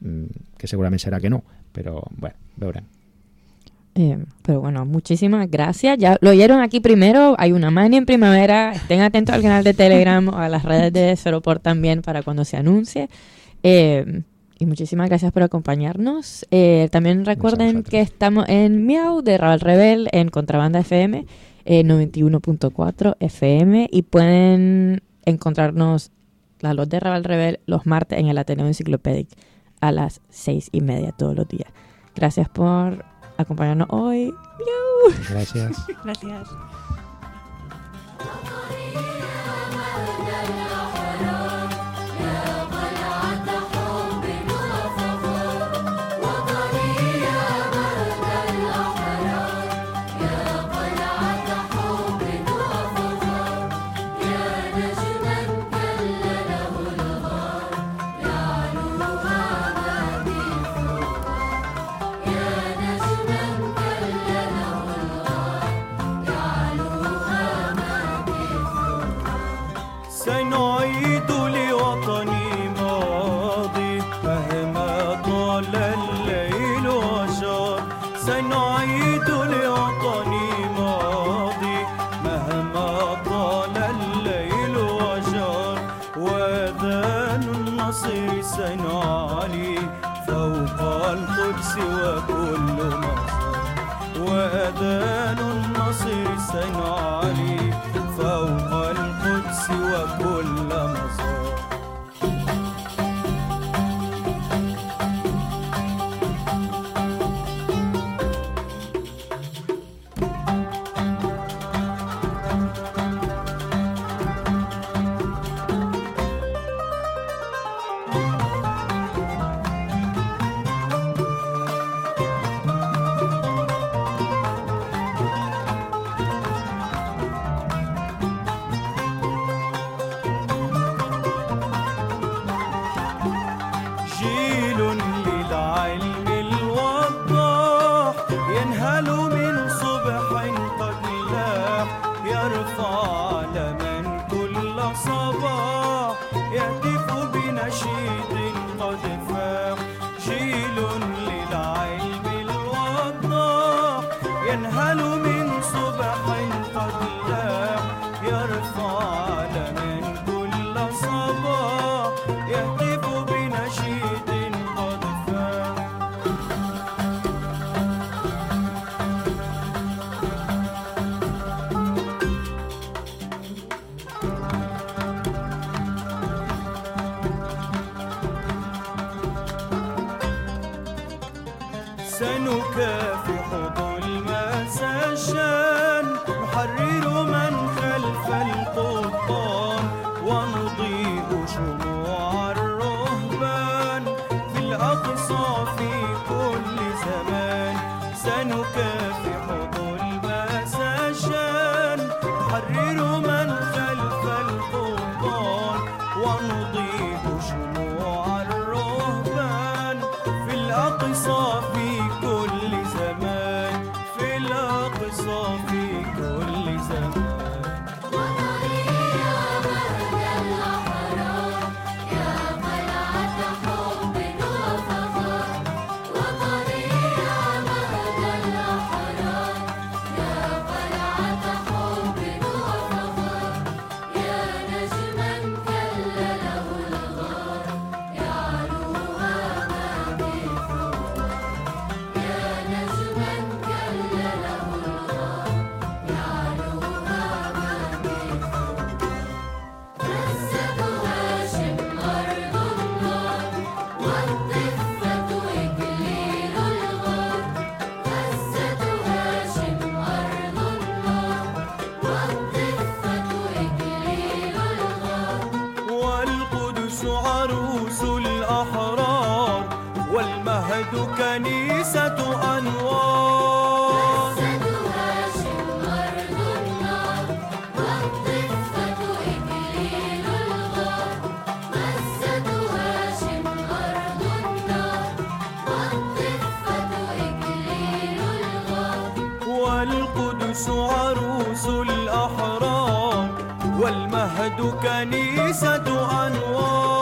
mm, que segurament serà que no, però bueno, veurem. Eh, pero bueno, muchísimas gracias. Ya lo oyeron aquí primero. Hay una mani en primavera. Estén atentos al canal de Telegram o a las redes de Seroport también para cuando se anuncie. Eh, y muchísimas gracias por acompañarnos. Eh, también recuerden que estamos en Miau de Raval Rebel en Contrabanda F M, eh, noventa y uno punto cuatro F M, y pueden encontrarnos la Los de Raval Rebel los martes en el Ateneo Enciclopédic a las seis y media todos los días. Gracias por acompañarnos hoy. ¡Miau! Gracias. Gracias. سنعيد لوطني ماضي مهما طال الليل وجار سنعيد لوطني ماضي مهما طال الليل وجار وأذان النصر سنعلي فوق القدس وكل مزار وأذان النصر سنعلي فوق القدس وكل مزار سنكافح ظلم سجان نحرر من خلف القضبان ونضيء شموع الرهبان في الأقصى في كل زمان سنكافح ظلم سجان نحرر من خلف القضبان والمهد كنيسة أنوار. مسجد هاشم أرض النار والضفة إكليل الغار. مسجد هاشم أرض النار والضفة إكليل الغار. والقدس عروس الأحرار والمهد كنيسة أنوار.